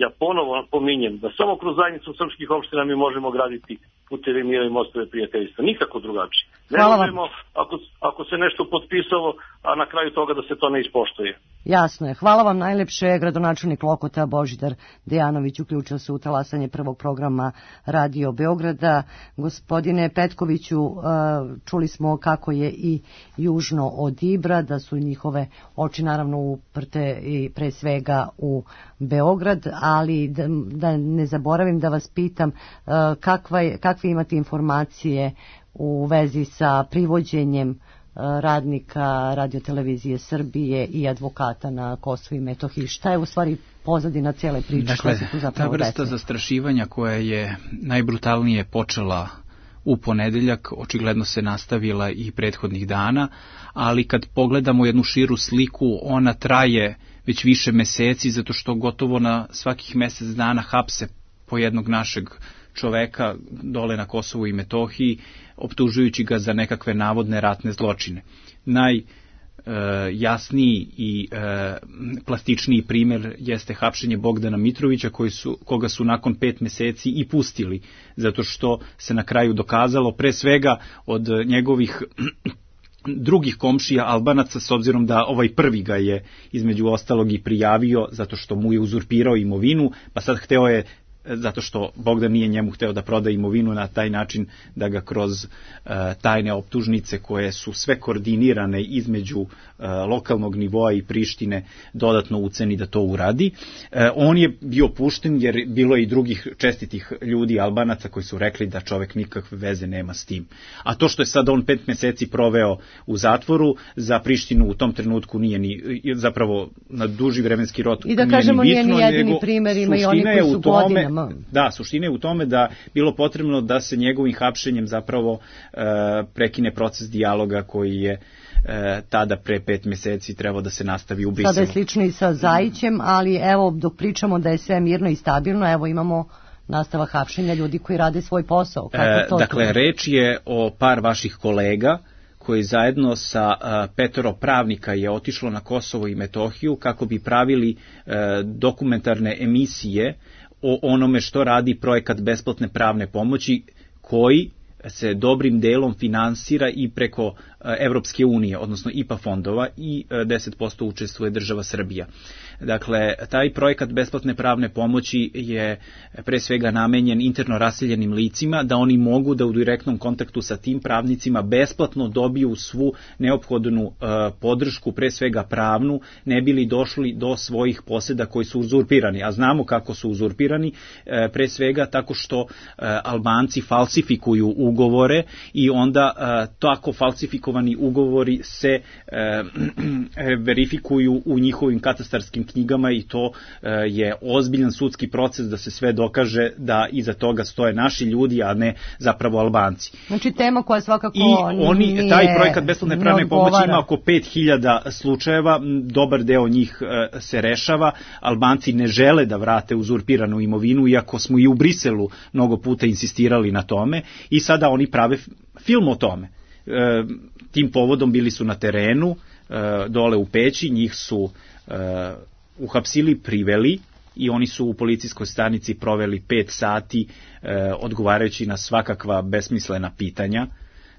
ja ponovo pominjem da samo kroz zajednicu srpskih opština mi možemo graditi putevi mira i mostove prijateljstva. Nikako drugačije. Ne možemo ako, ako se nešto potpisalo, a na kraju toga da se to ne ispoštuje. Jasno je. Hvala vam najlepše. Gradonačelnik Lokota Božidar Dejanović uključio se u talasanje prvog programa Radio Beograda. Gospodine Petkoviću, čuli smo kako je i južno od Ibra, da su njihove oči naravno uprte i pre svega u Beograd, ali da, da ne zaboravim da vas pitam kakva je, kakve imate informacije u vezi sa privođenjem radnika Radiotelevizije Srbije i advokata na Kosovu i Metohiji. Šta je u stvari pozadina cijele priče? Dakle, ta vrsta zastrašivanja koja je najbrutalnije počela u ponedeljak, očigledno se nastavila i prethodnih dana, ali kad pogledamo jednu širu sliku, ona traje već više meseci, zato što gotovo na svakih mesec dana hapse po jednog našeg čoveka dole na Kosovu i Metohiji, optužujući ga za nekakve navodne ratne zločine. Najjasniji i e, plastičniji primjer jeste hapšenje Bogdana Mitrovića, koji su, koga su nakon pet meseci i pustili, zato što se na kraju dokazalo, pre svega od njegovih drugih komšija Albanaca, s obzirom da ovaj prvi ga je između ostalog i prijavio, zato što mu je uzurpirao imovinu, pa sad hteo je, zato što Bogdan nije njemu hteo da proda imovinu, na taj način da ga kroz uh, tajne optužnice koje su sve koordinirane između uh, lokalnog nivoa i Prištine dodatno uceni da to uradi. Uh, on je bio pušten jer bilo je i drugih čestitih ljudi Albanaca koji su rekli da čovek nikakve veze nema s tim. A to što je sad on pet meseci proveo u zatvoru, za Prištinu u tom trenutku nije ni, zapravo na duži vremenski rod i da kažemo nije ni jedini primer, ima i oni koji su godinama. Da, suština je u tome da bilo potrebno da se njegovim hapšenjem zapravo e, prekine proces dijaloga koji je e, tada pre pet meseci trebao da se nastavi u Briselu. Sada je slično i sa Zajićem, ali evo dok pričamo da je sve mirno i stabilno, evo imamo nastava hapšenja ljudi koji rade svoj posao. Kako to e, dakle, to? Reč je o par vaših kolega koji zajedno sa uh, petoro pravnika je otišlo na Kosovo i Metohiju kako bi pravili uh, dokumentarne emisije o onome što radi projekat besplatne pravne pomoći, koji se dobrim delom finansira i preko Evropske unije, odnosno I P A fondova, i deset posto učestvuje država Srbija. Dakle, taj projekat besplatne pravne pomoći je pre svega namenjen interno raseljenim licima, da oni mogu da u direktnom kontaktu sa tim pravnicima besplatno dobiju svu neophodnu uh, podršku, pre svega pravnu, ne bili došli do svojih poseda koji su uzurpirani. A znamo kako su uzurpirani, uh, pre svega tako što uh, Albanci falsifikuju ugovore i onda uh, tako falsifikovani ugovori se uh, verifikuju u njihovim katastarskim knjigama i to uh, je ozbiljan sudski proces da se sve dokaže da iza toga stoje naši ljudi, a ne zapravo Albanci. Znači tema koja svakako I oni, nije, taj projekat besplatne pravne pomoći ima oko pet hiljada slučajeva, dobar deo njih uh, se rešava. Albanci ne žele da vrate uzurpiranu imovinu, iako smo i u Briselu mnogo puta insistirali na tome, i sada oni prave film o tome. Uh, tim povodom bili su na terenu, uh, dole u Peći, njih su uh, uhapsili, priveli i oni su u policijskoj stanici proveli pet sati uh, odgovarajući na svakakva besmislena pitanja,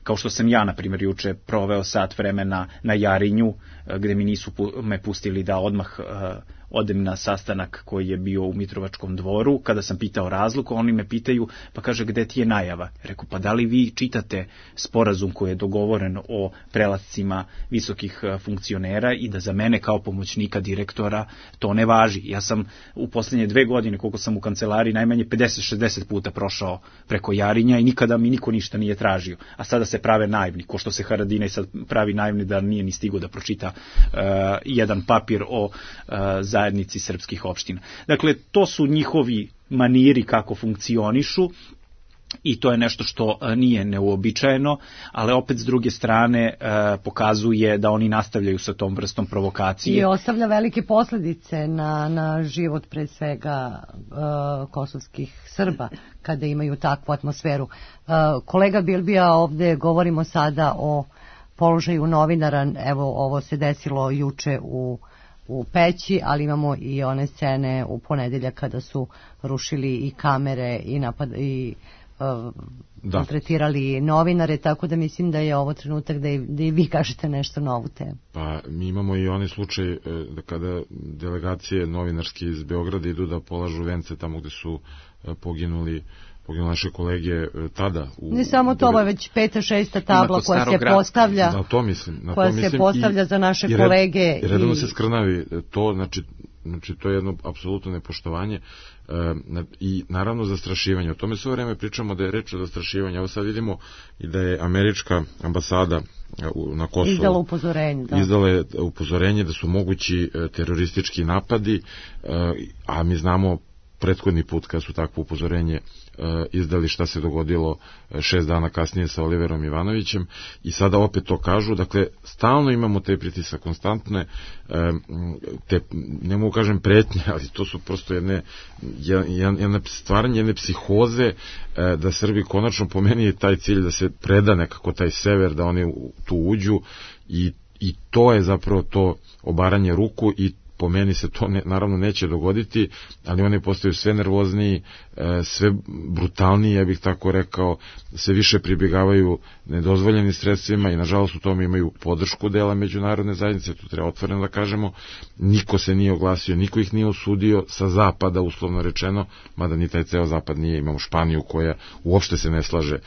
kao što sam ja, na primjer, juče proveo sat vremena na Jarinju, uh, gde mi nisu pu- me pustili da odmah uh, odem na sastanak koji je bio u Mitrovačkom dvoru. Kada sam pitao razlog, oni me pitaju, pa kaže, gde ti je najava? Reku, pa da li vi čitate sporazum koji je dogovoren o prelascima visokih funkcionera i da za mene kao pomoćnika direktora to ne važi? Ja sam u posljednje dve godine, koliko sam u kancelariji, najmanje pedeset šezdeset puta prošao preko Jarinja i nikada mi niko ništa nije tražio. A sada se prave naivni, ko što se Haradinaj sad pravi naivni da nije ni stigo da pročita uh, jedan papir o uh, zajednici srpskih opština. Dakle, to su njihovi maniri kako funkcionišu. i to je nešto što nije neuobičajeno, ali opet s druge strane pokazuje da oni nastavljaju sa tom vrstom provokacije. I ostavlja velike posljedice na, na život pre svega uh, kosovskih Srba kada imaju takvu atmosferu. Uh, kolega Bilbija, ovde govorimo sada o položaju novinara, evo ovo se desilo juče u u Peći, ali imamo i one scene u ponedeljak kada su rušili i kamere i napad i uh, tretirali novinare, tako da mislim da je ovo trenutak da i, da i vi kažete nešto na ovu temu. Pa mi imamo i onaj slučaj da kada delegacije novinarske iz Beograda idu da polažu vence tamo gde su poginuli poginuli naše kolege tada. U, ne samo to, ovo je već peta, šesta tabla koja se postavlja, na to mislim, na koja to mislim, se postavlja i, za naše i red, kolege. I redovno i... se skrnavi to, znači, znači to je jedno apsolutno nepoštovanje e, i naravno zastrašivanje. O tome sve vreme pričamo da je reč o zastrašivanju. Evo sad vidimo i da je američka ambasada na Kosovu izdala upozorenje, da. izdala je upozorenje da su mogući teroristički napadi, a mi znamo prethodni put kad su takvo upozorenje izdali šta se dogodilo šest dana kasnije sa Oliverom Ivanovićem i sada opet to kažu. Dakle, stalno imamo te pritisak konstantne, te, ne mogu kažem pretnje, ali to su prosto jedne, jedne stvaranje, jedne psihoze da Srbi konačno, po meni je taj cilj da se preda nekako taj sever, da oni tu uđu i, i to je zapravo to obaranje ruku i po meni se to ne, naravno neće dogoditi, ali oni postaju sve nervozniji, sve brutalniji, ja bih tako rekao, sve više pribjegavaju nedozvoljenim sredstvima i nažalost u tome imaju podršku dela međunarodne zajednice, to treba otvoreno da kažemo. Niko se nije oglasio, niko ih nije osudio sa zapada, uslovno rečeno, mada ni taj ceo zapad nije. Imamo Španiju koja uopšte se ne slaže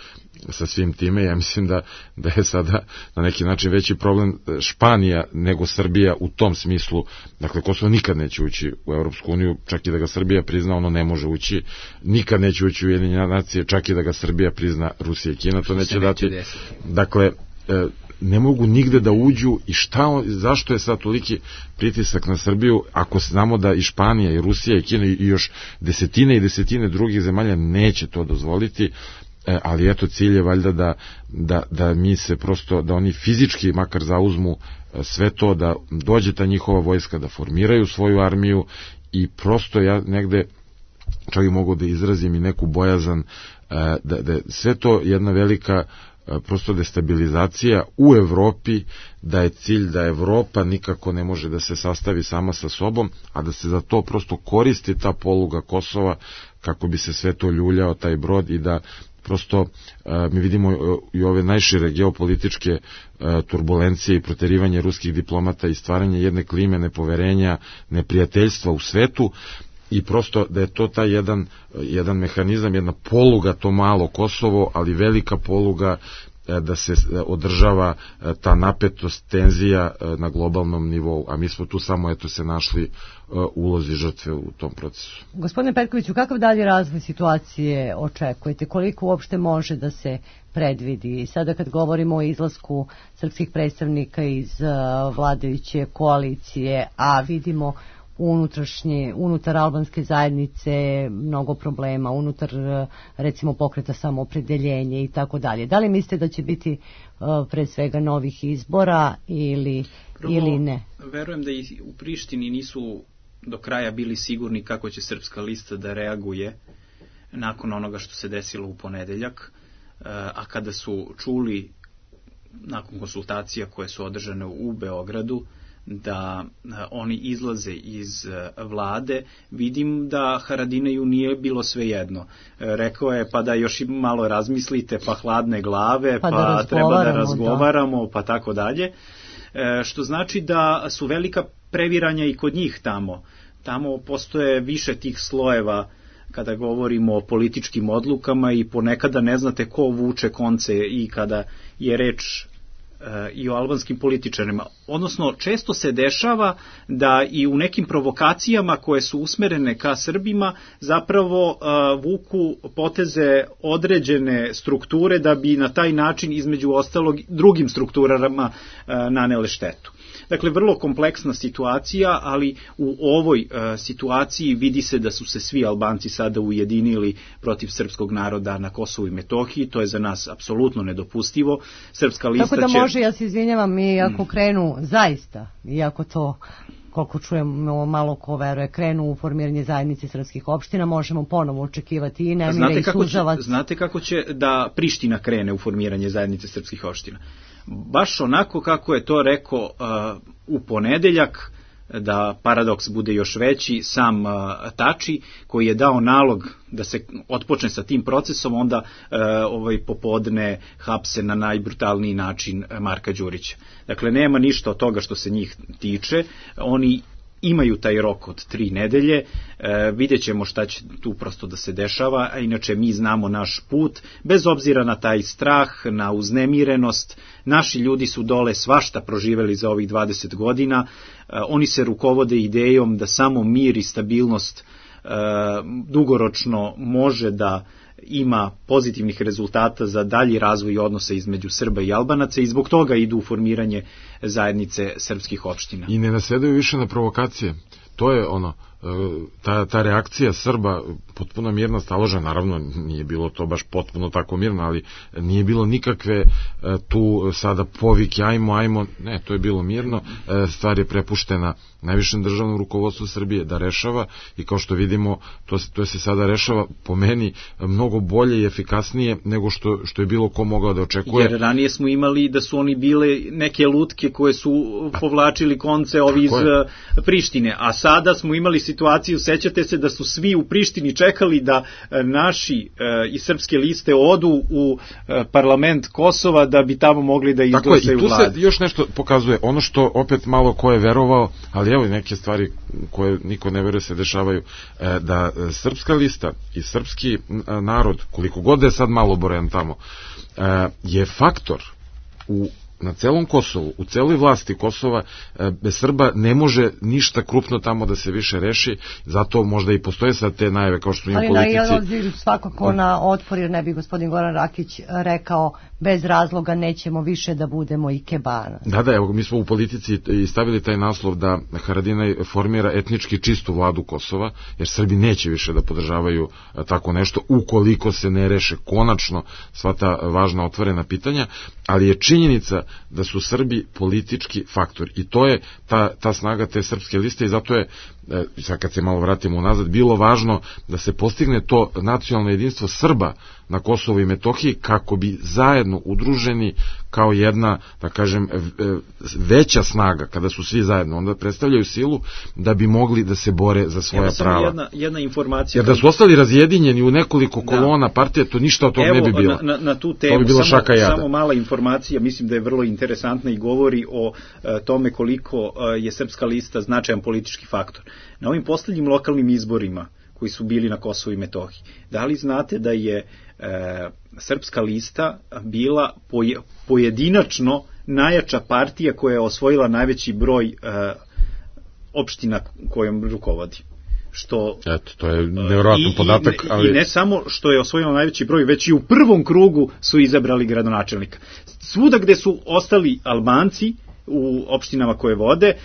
sa svim time. Ja mislim da, da je sada na neki način veći problem Španija nego Srbija u tom smislu. Dakle, Kosovo nikad neće ući u Evropsku uniju, čak i da ga Srbija prizna, ono ne može ući. Nikad neće ući u Ujedinjene nacije, čak i da ga Srbija prizna, Rusija i Kina to neće dati. Dakle, ne mogu nigde da uđu i šta, zašto je sad toliki pritisak na Srbiju ako znamo da i Španija i Rusija i Kina i još desetine i desetine drugih zemalja neće to dozvoliti. Ali eto, cilj je valjda da, da, da mi se prosto, da oni fizički makar zauzmu sve to, da dođe ta njihova vojska, da formiraju svoju armiju i prosto ja negde čak i mogu da izrazim i neku bojazan da, da sve to jedna velika prosto destabilizacija u Evropi, da je cilj da Evropa nikako ne može da se sastavi sama sa sobom, a da se za to prosto koristi ta poluga Kosova kako bi se sve to ljuljao taj brod i da prosto mi vidimo i ove najšire geopolitičke turbulencije i proterivanje ruskih diplomata i stvaranje jedne klime nepoverenja, neprijateljstva u svetu i prosto da je to taj jedan, jedan mehanizam, jedna poluga, to malo Kosovo, ali velika poluga da se održava ta napetost, tenzija na globalnom nivou, a mi smo tu samo eto se našli ulozi žrtve u tom procesu. Gospodine Perkoviću, kakav dalje razvoj situacije očekujete? Koliko uopšte može da se predvidi? Sada kad govorimo o izlasku srpskih predstavnika iz vladajuće koalicije, a vidimo unutrašnje, unutar albanske zajednice mnogo problema, unutar recimo pokreta samoopredeljenje i tako dalje. Da li mislite da će biti uh, pre svega novih izbora ili, Prvo, ili ne? Verujem da i u Prištini nisu do kraja bili sigurni kako će Srpska lista da reaguje nakon onoga što se desilo u ponedeljak, uh, a kada su čuli nakon konsultacija koje su održane u Beogradu da oni izlaze iz vlade, vidim da Haradinaju nije bilo svejedno. Rekao je pa da još malo razmislite, pa hladne glave, pa, pa da treba da razgovaramo, da. Pa tako dalje. Što znači da su velika previranja i kod njih tamo. Tamo postoje više tih slojeva kada govorimo o političkim odlukama i ponekada ne znate ko vuče konce i kada je reč i o albanskim političarima. Odnosno, često se dešava da i u nekim provokacijama koje su usmerene ka Srbima zapravo uh, vuku poteze određene strukture da bi na taj način između ostalog drugim strukturama uh, nanele štetu. Dakle, vrlo kompleksna situacija, ali u ovoj uh, situaciji vidi se da su se svi Albanci sada ujedinili protiv srpskog naroda na Kosovu i Metohiji. To je za nas apsolutno nedopustivo. Srpska lista Tako da će... može, ja se izvinjavam, i ako krenu zaista, iako to, koliko čujemo, malo ko veruje, krenu u formiranje zajednice srpskih opština, možemo ponovo očekivati i nemire i suzavac. Znate kako će da Priština krene u formiranje zajednice srpskih opština? Baš onako kako je to rekao uh, u ponedeljak, da paradoks bude još veći, sam uh, Tači, koji je dao nalog da se otpočne sa tim procesom, onda uh, ovaj popodne hapse na najbrutalniji način Marka Đurića. Dakle, nema ništa od toga što se njih tiče. Oni imaju taj rok od tri nedelje, e, vidjet ćemo šta će tu prosto da se dešava, a inače mi znamo naš put, bez obzira na taj strah, na uznemirenost, naši ljudi su dole svašta proživeli za ovih dvadeset godina, e, oni se rukovode idejom da samo mir i stabilnost e, dugoročno može da ima pozitivnih rezultata za dalji razvoj odnosa između Srba i Albanaca i zbog toga idu u formiranje zajednice srpskih opština. I ne nasedaju više na provokacije. To je ono, ta, ta reakcija Srba, potpuno mirna, staložena, naravno nije bilo to baš potpuno tako mirno, ali nije bilo nikakve tu sada povike, ajmo, ajmo, ne, to je bilo mirno, stvar je prepuštena najvišem državnom rukovodstvu Srbije da rešava i kao što vidimo, to, to se sada rešava po meni mnogo bolje i efikasnije nego što, što je bilo ko mogao da očekuje. Jer ranije smo imali da su oni bile neke lutke koje su povlačili konce ovi iz Prištine, a sada smo imali situaciju, sećate se da su svi u Prištini čekali da naši e, i srpske liste odu u e, parlament Kosova da bi tamo mogli da izglasaju vladu. Tako je, i tu se još nešto pokazuje, ono što opet malo ko je verovao, ali evo i neke stvari koje niko ne veruje se dešavaju, e, da srpska lista i srpski narod, koliko god je sad malo boren tamo, e, je faktor u na celom Kosovu, u celoj vlasti Kosova, bez Srba ne može ništa krupno tamo da se više reši, zato možda i postoje sad te najave kao što su im politici. Ali na svakako na otpor, jer ne bi gospodin Goran Rakić rekao bez razloga nećemo više da budemo ikebana. Da, da, evo, mi smo u politici i stavili taj naslov da Haradinaj formira etnički čistu vladu Kosova, jer Srbi neće više da podržavaju tako nešto, ukoliko se ne reše konačno sva ta važna otvorena pitanja, ali je činjenica da su Srbi politički faktor i to je ta, ta snaga te srpske liste i zato je, sad kad se malo vratimo unazad, bilo važno da se postigne to nacionalno jedinstvo Srba na Kosovu i Metohiji kako bi zajedno udruženi kao jedna, da kažem, veća snaga, kada su svi zajedno, onda predstavljaju silu da bi mogli da se bore za svoja prava. Jedna, jedna informacija. Jer da su ostali razjedinjeni u nekoliko kolona, da, partije, to ništa od toga ne bi bilo. Evo, na, na tu temu, to bi bilo samo, šaka jada. Samo mala informacija, mislim da je vrlo interesantna i govori o uh, tome koliko uh, je srpska lista značajan politički faktor. Na ovim poslednjim lokalnim izborima koji su bili na Kosovu i Metohiji, da li znate da je e, srpska lista bila poje, pojedinačno najjača partija koja je osvojila najveći broj e, opština kojom rukovodi? Što, eto, to je nevjerojatan podatak. I, ali... I ne samo što je osvojila najveći broj, već i u prvom krugu su izabrali gradonačelnika. Svuda gde su ostali Albanci, u opštinama koje vode, e,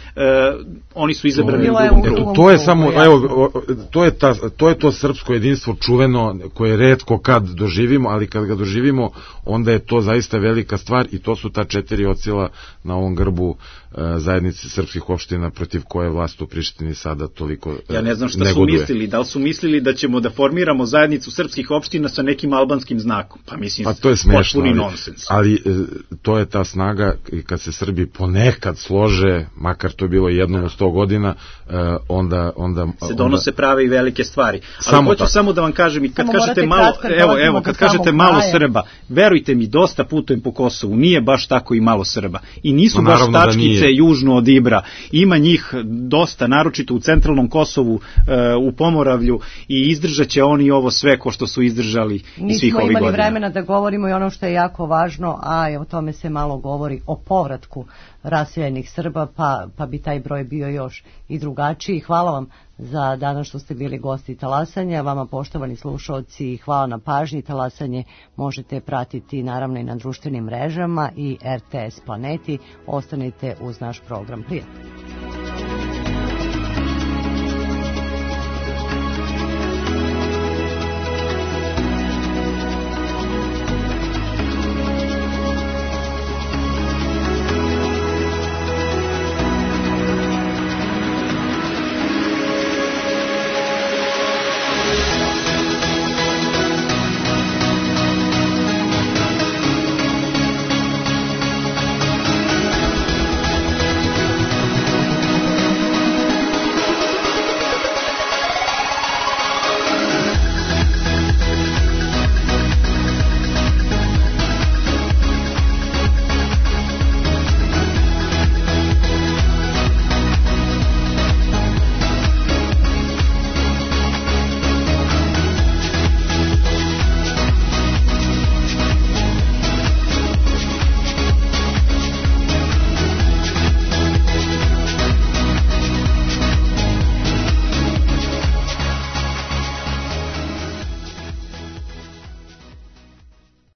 oni su izabrani u drugom krugu. To je samo, evo, to je, ta, to je to srpsko jedinstvo čuveno koje retko kad doživimo, ali kad ga doživimo, onda je to zaista velika stvar i to su ta četiri ocila na ovom grbu e, zajednice srpskih opština protiv koje vlast u Prištini sada toliko e, ja ne znam šta negoduje. Su mislili, da li su mislili da ćemo da formiramo zajednicu srpskih opština sa nekim albanskim znakom, pa mislim, pa to je smešno, potpuni ali, nonsens. Ali e, to je ta snaga i kad se Srbi ponekad slože, makar to je bilo jednom u sto godina, e, onda, onda se donose onda... prave i velike stvari. Ali samo hoću tako. samo da vam kažem, i kad samo kažete malo, evo, evo, kad kažete malo kraja. Srba, verujte mi, dosta putujem po Kosovu, nije baš tako i malo Srba. I nisu no, baš tačkice južno od Ibra. Ima njih dosta, naročito u centralnom Kosovu, e, u Pomoravlju, i izdržat će oni ovo sve ko što su izdržali i svih ovih godina. Nismo imali vremena da govorimo i ono što je jako važno, a o tome se malo govori, o povratku raseljenih Srba, pa, pa bi taj broj bio još i drugačiji. Hvala vam za danas što ste bili gosti Talasanja, vama poštovani slušalci, hvala na pažnji. Talasanje možete pratiti naravno i na društvenim mrežama i R T S Planeti. Ostanite uz naš program. Prijatno.